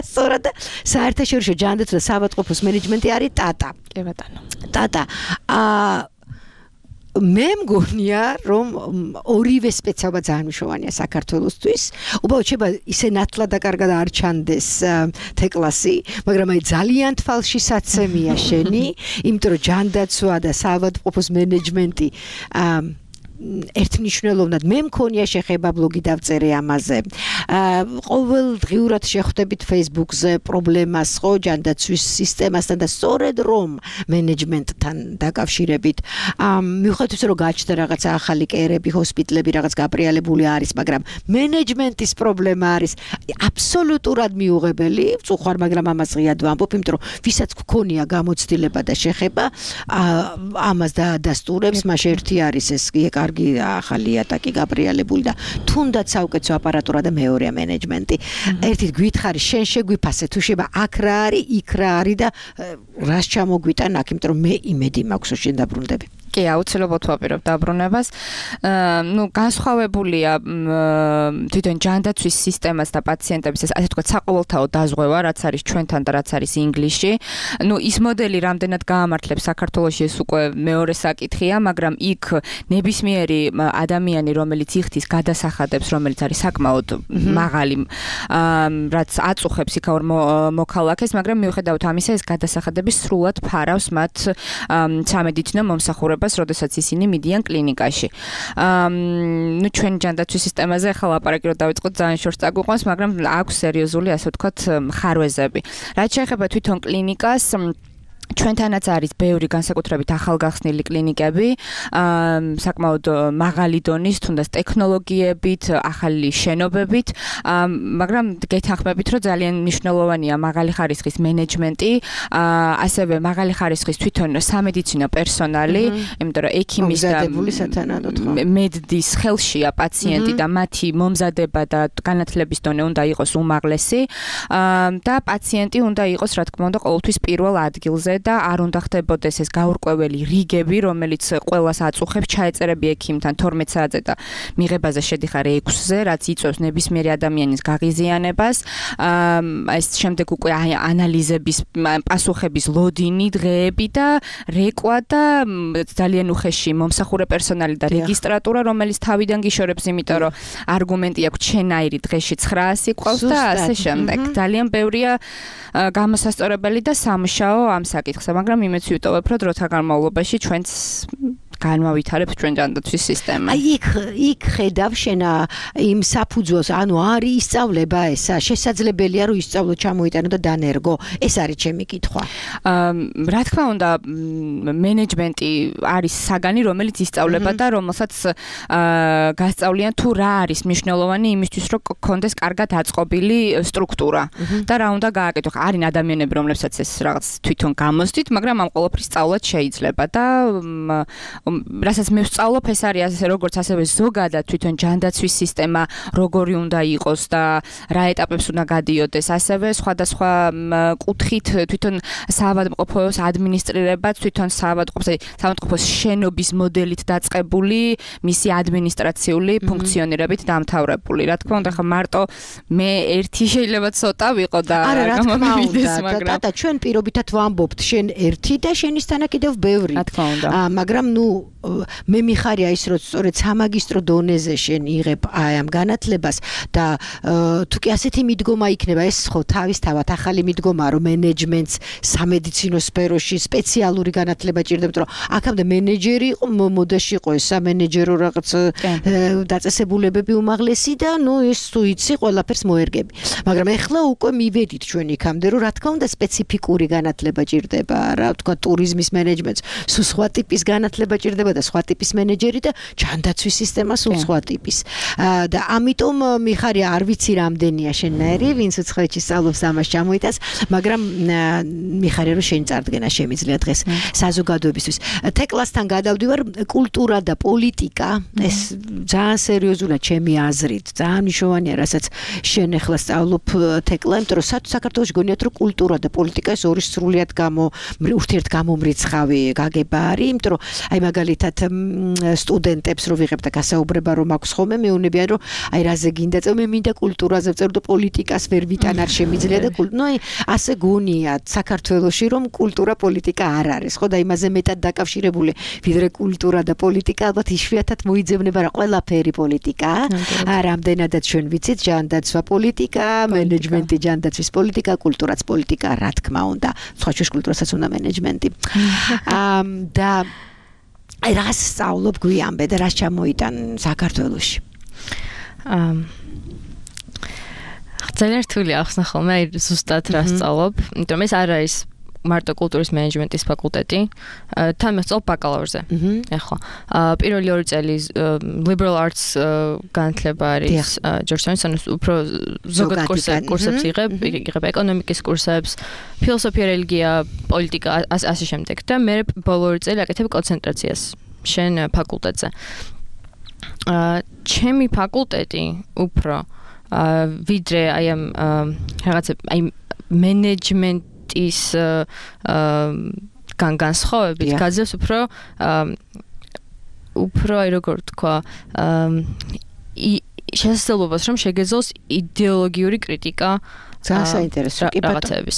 სწორად საერთაშორისო ჯანდაცვა და საავადმყოფოს მენეჯმენტი არის ტატა. კი ბატონო. ტატა. აა მე მგონია, რომ ორივე სპეციალობა ძალიან მნიშვნელოვანია საქართველოსთვის. უბრალოდ შეიძლება ისე ნათლად და კარგად არ ჩანდეს თეკლასი, მაგრამ აი ძალიან თვალში საცემია შენი, იმიტომ რომ ჯანდაცვა და საავადმყოფოს მენეჯმენტი აა ერთმნიშვნელოვნად მე მქონია შეხება ბლოგი დავწერე ამაზე. ყოველდღიურად შეხვდებით Facebook-ზე პრობლემას ხო ჯანდაცვის სისტემასთან და სწორედ რომ მენეჯმენტთან დაკავშირებით მიუხედავად ისე რომ გაჩნდა რაღაცა ახალი კერები, ჰოსპიტლები რაღაც გაბრიალებული არის, მაგრამ მენეჯმენტის პრობლემა არის აბსოლუტურად მიუღებელი, წუხარ, მაგრამ ამას ღიად ვამბობ, იმიტომ რომ ვისაც გქონია გამოცდილება და შეხება ამას დაადასტურებს, მაშ ერთი არის ეს კარგი ახალი ატაკი გაბრიალებული და თუნდაც საუკეთესო აპარატურა და მეორეა მენეჯმენტი. ერთით გვითხარი, შენ შეგვიფასე თუ შეიძლება აქ რა არის, იქ რა არის და რას ჩამოგვიტან აქ, იმიტომ რომ მე იმედი მაქვს რომ შენ დაბრუნდები. კი, აუცილებლად ვაპირებ დაბრუნებას. ნუ განსხვავებულია თვითონ ჯანდაცვის სისტემას და პაციენტების ეს ასე თქვა საყოველთაო დაზღვევა, რაც არის ჩვენთან და რაც არის ინგლისში. ნუ ის მოდელი რამდენად გაამართლებს საქართველოში ეს უკვე მეორე საკითხია, მაგრამ იქ ნებისმიერი ადამიანი, რომელიც იხდის გადასახადებს, რომელიც არის საკმაოდ მაღალი, რაც აწუხებს იქაურ მოქალაქეს, მაგრამ მიუხედავად ამისა ეს გადასახადები სრულად ფარავს მათ სამედიცინო მომსახურებას, როდესაც ისინი მიდიან კლინიკაში. აა ნუ ჩვენ ჯანდაცვის სისტემაზე ახლა ლაპარაკი რო დავიწყოთ, ძალიან შორს წაგვიყვანს, მაგრამ აქვს სერიოზული, ასე ვთქვათ, ხარვეზები. რაც შეეხება თვითონ კლინიკას, ჩვენთანაც არის ბევრი განსაკუთრებით ახალგახსნილი კლინიკები, აა საკმაოდ მაღალი დონის, თუნდაც ტექნოლოგიებით, ახალი შენობებით, აა მაგრამ გეთანხმებით, რომ ძალიან მნიშვნელოვანია მაღალი ხარისხის მენეჯმენტი, აა ასევე მაღალი ხარისხის თვითონ სამედიცინო პერსონალი, იმიტომ რომ ექიმის და მედდის ხელშია პაციენტი და მათი მომზადება და განათლების დონე უნდა იყოს უმაღლესი, აა და პაციენტი უნდა იყოს, რა თქმა უნდა, ყოველთვის პირველ ადგილზე და არ უნდა ხდებოდეს ეს გაურკვეველი რიგები, რომელიც ყველას აწუხებს, ჩაეწერები ექიმთან თორმეტ საათზე და მიღებაზე შედიხარ ექვსზე, რაც იწვევს ნებისმიერი ადამიანის გაღიზიანებას. აა ეს შემდეგ უკვე ანალიზების, პასუხების ლოდინი, დღეები და რეკვა და ძალიან უხეში მომსახურე პერსონალი და რეგისტრატურა, რომელიც თავიდან გიშორებს, იმიტომ რომ არგუმენტი აქვს ჩენაირი დღეში ცხრაასი ყავს და ასე შემდეგ. ძალიან ბევრია გამოსასწორებელი და სამუშაო ამ საკითხზე, მაგრამ იმეც ვიტოვებ, რომ დროთა განმავლობაში ჩვენც განმავითარებთ ჩვენ ჯანდაცვის სისტემა. აი იქ იქ ხედავ შენ იმ საფუძველს, ანუ არის ისწავლება ესა, შესაძლებელია რომ ისწავლო ჩამოიტანო და დანერგო. ეს არის ჩემი კითხვა. აა რა თქმა უნდა, მენეჯმენტი არის საგანი, რომელიც ისწავლება და რომელსაც აა გასწავლიან თუ რა არის მნიშვნელოვანი იმისთვის, რომ გქონდეს კარგად აწყობილი სტრუქტურა და რა უნდა გააკეთო. არის ადამიანები, რომლებსაც ეს რაღაც თვითონ გამოსდით, მაგრამ ამ ყველაფრის სწავლაც შეიძლება და რასაც მე ვსწავლობ, ეს არის ასე როგორც ასევე ზოგადად თვითონ ჯანდაცვის სისტემა როგორი უნდა იყოს და რა ეტაპებს უნდა გადიოდეს, ასევე სხვადასხვა კუთხით თვითონ საავადმყოფოს ადმინისტრირებაც, თვითონ საავადმყოფოს, საავადმყოფოს შენობის მოდელით დაწყებული, მისი ადმინისტრაციული ფუნქციონირებით დამთავრებული. Რა თქმა უნდა, ხა მარტო მე ერთი შეიძლება ცოტა ვიყო და გამომივიდეს, მაგრამ და ჩვენ პირობითად ვამბობთ, შენ ერთი და შენისთანა კიდევ ბევრი. რა თქმა უნდა. მაგრამ ნუ მე მიხარია ის რომ სწორედ სამაგისტრო დონეზე შენ იღებ აი ამ განათლებას და თუ კი ასეთი მიდგომა იქნება, ეს ხო თავისთავად ახალი მიდგომაა, რომ მენეჯმენტს სამედიცინო სფეროში სპეციალური განათლება ჭირდებთ, რომ აქამდე მენეჯერი იყო, მოდაში იყო ეს სამენეჯერო რაღაც დაწესებულებები უმაღლესი და ნუ ეს თუ იცი ყველაფერს მოერგები. მაგრამ ეხლა უკვე მივედით ჩვენ იქამდე, რომ რა თქმა უნდა სპეციფიკური განათლება ჭირდება, რა თქვა ტურიზმის მენეჯმენტს, სულ სხვა ტიპის განათლება ჭირდება და სხვა ტიპის მენეჯერი და ჯანდაცვის სისტემა სულ სხვა ტიპის. და ამიტომ მიხარია არ ვიცი რამდენია შენნაირი, ვინც უცხოეთში სწავლობს ამას ჩამოიტანს, მაგრამ მიხარია რომ შენი წარდგენა შემიძლია დღეს საზოგადოებისთვის. თეკლასთან გადავდივარ, კულტურა და პოლიტიკა, ეს ძალიან სერიოზულად ჩემი აზრით, ძალიან მნიშვნელოვანია, რასაც შენ ახლა სწავლობ თეკლა, იმიტომ რომ საქართველოში გონიათ რომ კულტურა და პოლიტიკა ეს ორი სრულიად გამო ურთიერთგამომრიცხავი გაგება არის, იმიტომ რომ აი მაგალითად სტუდენტებს რო ვიღებ და გასაუბრება რომ აქვს ხოლმე მეუნებიან რომ აი რაზე გინდა წევ მე მინდა კულტურაზე ვწერ და პოლიტიკას ვერ ვიტან არ შემიძლია და ნუ აი ასე გონიათ საქართველოში რომ კულტურა პოლიტიკა არ არის ხო და იმაზე მეტად დაკავშირებული ვიდრე კულტურა და პოლიტიკა ალბათ იშვიათად მოიძებნება რა ყველაფერი პოლიტიკაა რამდენადაც ჩვენ ვიცით ჯანდაცვა პოლიტიკა მენეჯმენტი ჯანდაცვის პოლიტიკა კულტურაც პოლიტიკა რა თქმა უნდა სხვა შუშ კულტურასაც უნდა მენეჯმენტი და აი რას სწავლობ გვიამბე და რას ჩამოიტან საქართველოში აა ძალიან რთული ახსნა ხოლმე აი ზუსტად რას სწავლობ იმიტომ ეს არ არის მარტო კულტურის მენეჯმენტის ფაკულტეტი თან მესწავლ ბაკალავრზე ეხლა პირველი ორი წელი liberal arts განათლება არის ჯორჯტაუნის ანუ უფრო ზოგად კურსებს იღებ იღებ ეკონომიკის კურსებს ფილოსოფია რელიგია პოლიტიკა ასე შემდეგ და მე ბოლო ორი წელი აკეთებ კონცენტრაციას შენ ფაკულტეტზე ჩემი ფაკულტეტი უფრო ვიდრე აი ამ რაღაცა აი მენეჯმენტ ის გან განსხვავებით გაძლევს უფრო უფრო აი როგორ თქვა შესაძლებლობას რომ შეგეძლოს იდეოლოგიური კრიტიკა ძალიან საინტერესო კი რაღაცების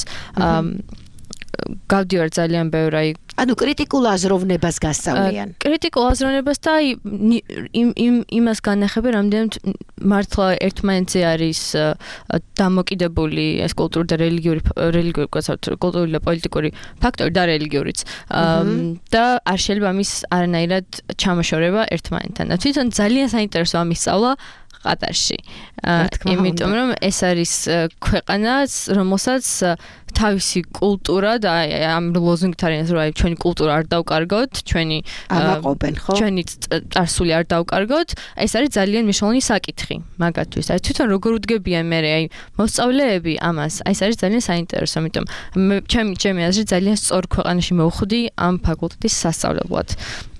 გავდივარ ძალიან ბევრი აი ანუ კრიტიკულ აზროვნებას გასწავლიან. კრიტიკულ აზროვნებას და აი იმ იმას განახებენ, რამდენად მართლა ერთმანეთზე არის დამოკიდებული ეს კულტურა და რელიგიური რელიგიური კულტურული და პოლიტიკური ფაქტორი და რელიგიურიც. და არ შეიძლება ამის არანაირად ჩამოშორება ერთმანეთთან. თვითონ ძალიან საინტერესო ამის სწავლა ყატარში. იმიტომ რომ ეს არის ქვეყანა, რომელსაც თავისი კულტურა და ამ ლოზუნგით არის რომ აი ჩვენი კულტურა არ დავკარგოთ, ჩვენი ამაყობენ, ხო? ჩვენი წარსული არ დავკარგოთ, ეს არის ძალიან მნიშვნელოვანი საკითხი მაგათთვის. აი თვითონ როგორ უდგებიან მე აი მოსწავლეები ამას, აი ეს არის ძალიან საინტერესო, იმიტომ ჩემი ჩემი აზრით ძალიან სწორ ქვეყანაში მოვხვდი ამ ფაკულტეტის სასწავლებლად.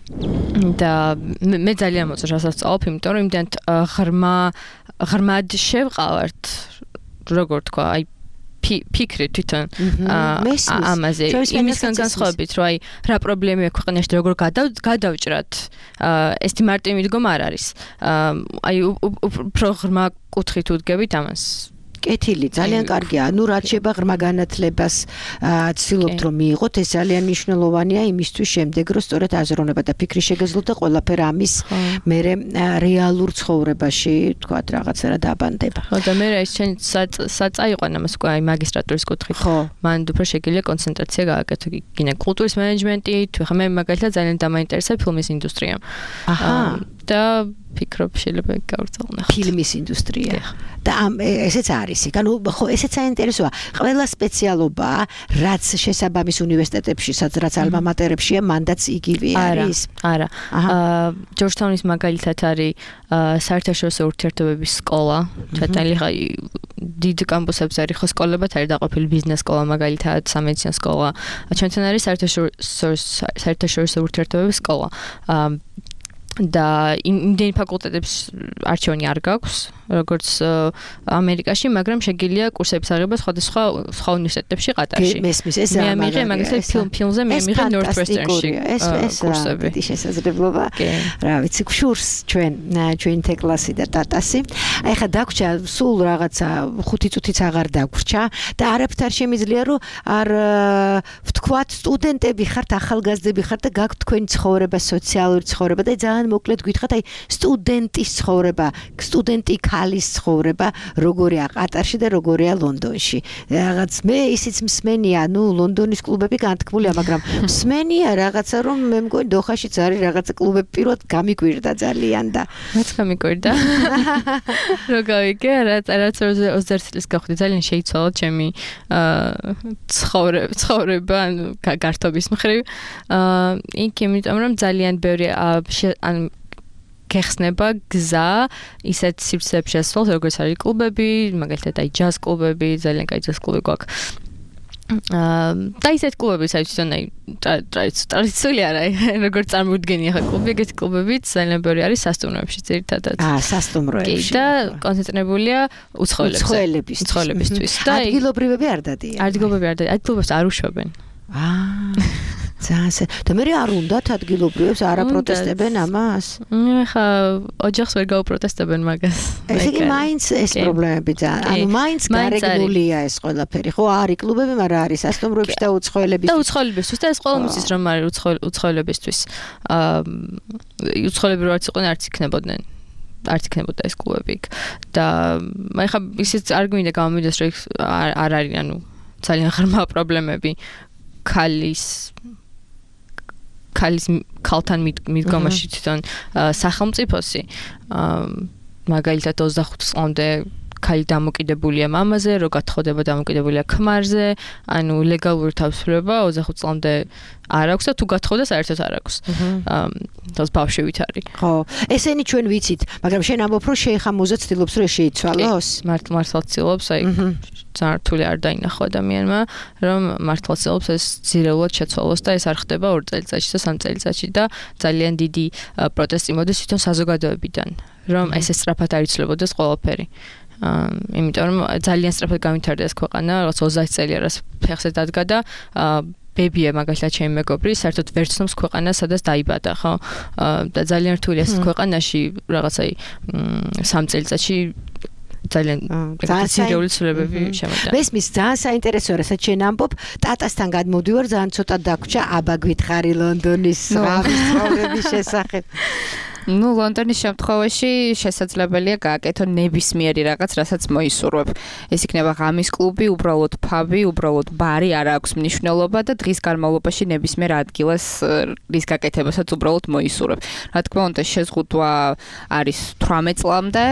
და მე ძალიან მოწონს რასაც ვსწავლობ, იმიტომ რომ იმდენად ღრმა ღრმად შევყავართ, როგორ თქვა, აი ფიქრი თვითონ ამაზე იმისგან განსხვავებით, რომ აი რა პრობლემია ქვეყანაში და როგორ გადავჭრათ, ეს მარტივი მიდგომა არ არის. აი უფრო ღრმა კუთხით უდგებით ამას. კეთილი, ძალიან კარგია. ანუ რაც შეება ღრმა განათლებას ცდილობთ რომ მიიღოთ, ეს ძალიან მნიშვნელოვანია იმისთვის შემდეგ რომ სწორედ აზროვნება და ფიქრი შეგეძლოთ და ყველაფერ ამის მერე რეალურ ცხოვრებაში, თქვათ, რაღაცა რა დაბანდება. ხო, და მე ეს შენ საწაიყვან ამას უკვე აი მაგისტრატურის კუთხით. ხო, მან უფრო შეგიძლია კონცენტრაცია გააკეთო გინე კულტურის მენეჯმენტი, თუ ხა მე მაგალითად ძალიან დამაინტერესა ფილმის ინდუსტრია. აჰა. და ფიქრობ შეიძლება გავრძალნახოთ. ფილმის ინდუსტრია. და ამ ესეც არის. ანუ ხო ესეც საინტერესოა. ყველა სპეციალობა, რაც შესაბამის უნივერსიტეტებში, სადაც ალმა მატერებშია, მანდაც იგივე არის. არა. აა ჯორჯთაუნის მაგალითად არის საერთაშორისო ურთიერთობების სკოლა. ჩვენი ხა დიდ კამპუსებზე არის ხო სკოლებად არის დაყოფილი ბიზნეს სკოლა მაგალითად, სამედიცინო სკოლა. ჩვენთან არის საერთაშორისო საერთაშორისო ურთიერთობების სკოლა. აა და იმდენი ფაკულტეტებს არჩევანი არ გაქვს, როგორც ამერიკაში, მაგრამ შეგიძლია კურსების აღება სხვადასხვა სხვა უნივერსიტეტებში ყატარში. მესმის ეს მე ამიღე მაგალითად ფილმ ფილმზე მე ამიღე Northwestern-ში კურსები. ეს შესაძლებლობა. რა ვიცი, გშურს ჩვენ ჩვენ თეკლასი და ტატასი. აი ხა დაგვრჩა სულ რაღაცა ხუთი წუთიც აღარ დაგვრჩა და არაფრით არ შემიძლია რომ არ ვთქვათ სტუდენტები ხართ, ახალგაზრდები ხართ და გაქვთ თქვენი ცხოვრება, სოციალური ცხოვრება და ძალიან მოკლედ გითხრათ, აი სტუდენტის ცხოვრება, სტუდენტი ქალის ცხოვრება, როგორია ყატარში და როგორია ლონდონში. რაღაც მე ისიც მსმენია, ნუ ლონდონის კლუბები განთქმულია, მაგრამ მსმენია რაღაცა რომ მე მგონი დოხაშიც არის რაღაცა კლუბები პირველად გამიკვირდა ძალიან და მეც გამიკვირდა. რო გავიგე, რაც რაც ოცდაერთი წლის გავხდი, ძალიან შეიცვალა ჩემი ცხოვრება, ცხოვრება, ანუ გართობის მხრივ. აა იქ იმიტომ რომ ძალიან ბევრი ან გეხსნება გზა ისეთ სივრცეებში შესვლა, როგორც არის კლუბები, მაგალითად აი ჯაზ კლუბები, ძალიან კაი ჯაზ კლუბი გვაქვს. აა და ისეთ კლუბები, საერთოდ თვითონ აი ტრადიციული არა, როგორც წარმოუდგენია ხა კლუბი, ეგეთი კლუბები ძალიან ბევრი არის სასტუმროებში ძირითადად. აა სასტუმროებში. და კონცენტრირებულია უცხოელებისთვის. უცხოელებისთვის. და ადგილობრივები არ დადიან. ადგილობრივები არ დადიან, ადგილობრივებს არ უშვებენ. აა ძალიან და მე არ უნდათ ადგილობრივებს არ აპროტესტებენ ამას? ხა ოჯახს ვერ გაუპროტესტებენ მაგას. ესე იგი მაინც ეს პრობლემები ძალიან. ანუ მაინც გარეგნულია ეს ყველაფერი. ხო არის კლუბები, მაგრამ არის სასტუმროებში და უცხოელებისთვის. და უცხოელებისთვის და ეს ყველა მისთვის რომ არის უცხოელებისთვის. აა უცხოელები რო არც იყვნენ, არც იქნებოდნენ. არც იქნებოდა ეს კლუბები იქ. და აი ხა ისიც არ გვინდა გამომიდეს რომ არ არის ანუ ძალიან ღრმა პრობლემები ქალის ქალის ქალთან მიდგომაში თვითონ სახელმწიფოსი მაგალითად ოცდახუთ წლამდე ქალი დამოკიდებულია მამაზე, რო გათხოვდება დამოკიდებულია ქმარზე, ანუ ლეგალური თავისუფლება ოცდახუთ წლამდე არ აქვს და თუ გათხოვდა საერთოდ არ აქვს. აა თავს ბავშვივით არის. ხო, ესენი ჩვენ ვიცით, მაგრამ შენ ამბობ რომ შეიხამოზე ცდილობს რომ შეიცვალოს? მართლა მართლა ცდილობს, აი ძალიან რთული არ დაინახო ადამიანმა, რომ მართლა ცდილობს ეს ძირეულად შეცვალოს და ეს არ ხდება ორ წელიწადში და სამ წელიწადში და ძალიან დიდი პროტესტი მოდის თვითონ საზოგადოებიდან, რომ ეს სწრაფად არ იცვლებოდეს ყველაფერი. აა იმიტომ რომ ძალიან სწრაფად გამვითარდა ეს ქვეყანა, რაღაც ოცდაათი წელია რაც ფეხზე დადგა და აა ბებია მაგალითად ჩემი მეგობრი, საერთოდ ვერ ცნობს ქვეყანას, სადაც დაიბადა, ხო? და ძალიან რთულია ეს ქვეყანაში რაღაცა სამ წელიწადში ძალიან ძირეული ცვლილებები შემოიტანა. მესმის ძალიან საინტერესოა, რასაც შენ ამბობ, ტატასთან გადმოვდივარ, ძალიან ცოტა დაგვრჩა, აბა გითხარი ლონდონის რავის ცხოვრების შესახებ. ну ლონდონის შემთხვევაში შესაძლებელია გააკეთო ნებისმიერი რაღაც, რასაც მოისურვებ. ეს იქნება ღამის კლუბი, უბრალოდ ფაბი, უბრალოდ ბარი, არ აქვს მნიშვნელობა და დღის განმავლობაში ნებისმიერ ადგილას რის გაკეთებასაც უბრალოდ მოისურვებ. რა თქმა უნდა, შეზღუდვა არის თვრამეტ წლამდე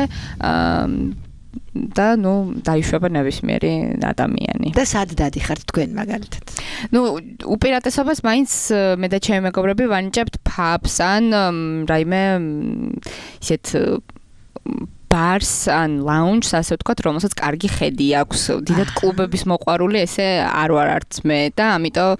და ნუ დაიშვება ნებისმიერი ადამიანი. და სად დადიხართ თქვენ მაგალითად? ნუ უპირატესობას მაინც მე და ჩემი მეგობრები ვანიჭებთ ფაბს ან რაიმე ისეთ ბარს ან ლაუნჯს, ასე ვთქვათ, რომელსაც კარგი ხედი აქვს. დიდად კლუბების მოყვარული ესე არ ვარ არც მე და ამიტომ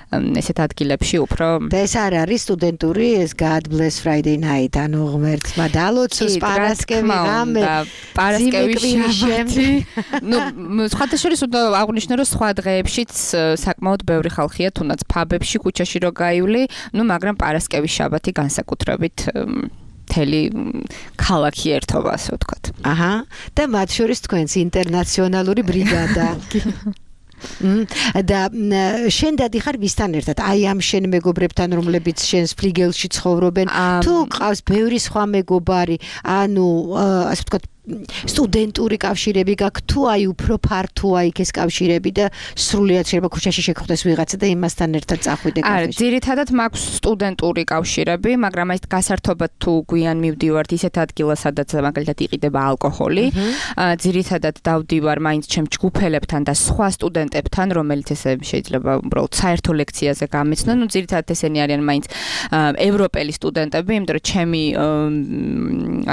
ესეთ ადგილებში უფრო და ეს არ არის სტუდენტური ეს God Bless Friday night, ანუ ღმერთმა დალოცოს პარასკევი ღამე და პარასკევის შაბათი. ნუ სხვათა შორის უნდა აღვნიშნო, რომ სხვა დღეებშიც საკმაოდ ბევრი ხალხია, თუნდაც ფაბებში, ქუჩაში რო გაივლი, ნუ მაგრამ პარასკევის შაბათი განსაკუთრებით მთელი ქალაქი ერთობა, ასე ვთქვათ. აჰა, და მათ შორის თქვენს ინტერნაციონალური ბრიგადა. და შენ დადიხარ ვისთან ერთად? აი ამ შენ მეგობრებთან, რომლებიც შენს ფლიგელში ცხოვრობენ, თუ ყავს ბევრი სხვა მეგობარი, ანუ ასე ვთქვათ, სტუდენტური კავშირები გაქვთ თუ აი უფრო ფართოა იქ ეს კავშირები და სრულიად შეიძლება ქუჩაში შეგხვდეს ვიღაცა და იმასთან ერთად წახვიდე კაფეში. არა, ძირითადად მაქვს სტუდენტური კავშირები, მაგრამ აი გასართობად თუ გვიან მივდივართ ისეთ ადგილას, სადაც მაგალითად იყიდება ალკოჰოლი, ძირითადად დავდივარ მაინც ჩემ ჯგუფელებთან და სხვა სტუდენტებთან, რომელიც ესე შეიძლება უბრალოდ საერთო ლექციაზე გამეცნონ, ну ძირითადად ესენი არიან მაინც ევროპელი სტუდენტები, იმიტომ რომ ჩემი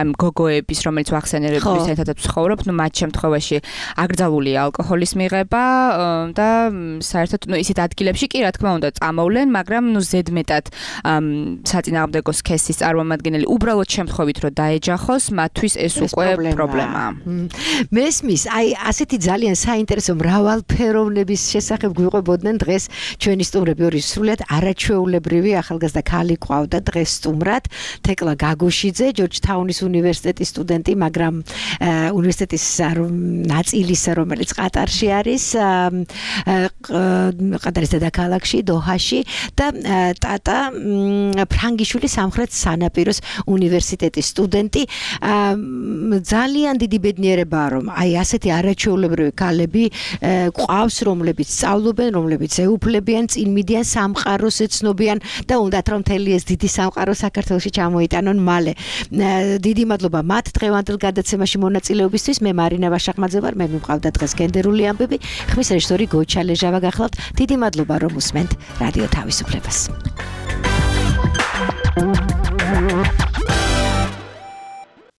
ამ გოგოების, რომელიც ვახსენებების ერთადაც ვცხოვრობ, ну მათ შემთხვევაში აკრძალულია ალკოჰოლის მიღება და საერთოდ ну ისეთ ადგილებში კი რა თქმა უნდა წამოვლენ, მაგრამ ну ზედმეტად საწინააღმდეგო სქესის წარმომადგენელი უბრალოდ შემთხვევით რომ დაეჯახოს, მათთვის ეს უკვე პრობლემაა. მესმის, აი ასეთი ძალიან საინტერესო მრავალფეროვნების შესახებ გვიყვებოდნენ დღეს ჩვენი სტუმრები ორი სრულიად არაჩვეულებრივი ახალგაზრდა ქალი ყავდა დღეს სტუმრად, თეკლა გაგოშიძე, ჯორჯთაუნის უნივერსიტეტის სტუდენტი, მაგრამ უნივერსიტეტის ნაწილის რომელიც ყატარში არის, ყატარის დედაქალაქში, დოჰაში და ტატა ფრანგიშვილი სამხრეთ სანაპიროს უნივერსიტეტის სტუდენტი. ძალიან დიდი ბედნიერებაა რომ აი ასეთი არაჩვეულებრივი ქალები ყავს, რომლებიც სწავლობენ, რომლებიც ეუფლებიან, წინ მიდიან სამყაროს ეცნობიან და უნდათ რომ მთელი ეს დიდი სამყარო საქართველოში ჩამოიტანონ მალე. დიდი მადლობა მათ დღევანდელ გადაცემაში მონაწილეობისთვის. მე მარინა ვაშახმაძე ვარ, მე მივყავდა დღეს გენდერული ამბები, ხმის რეჟისორი გოჩა ლეჟავა გახლავთ. დიდი მადლობა რომ უსმენთ რადიო თავისუფლებას.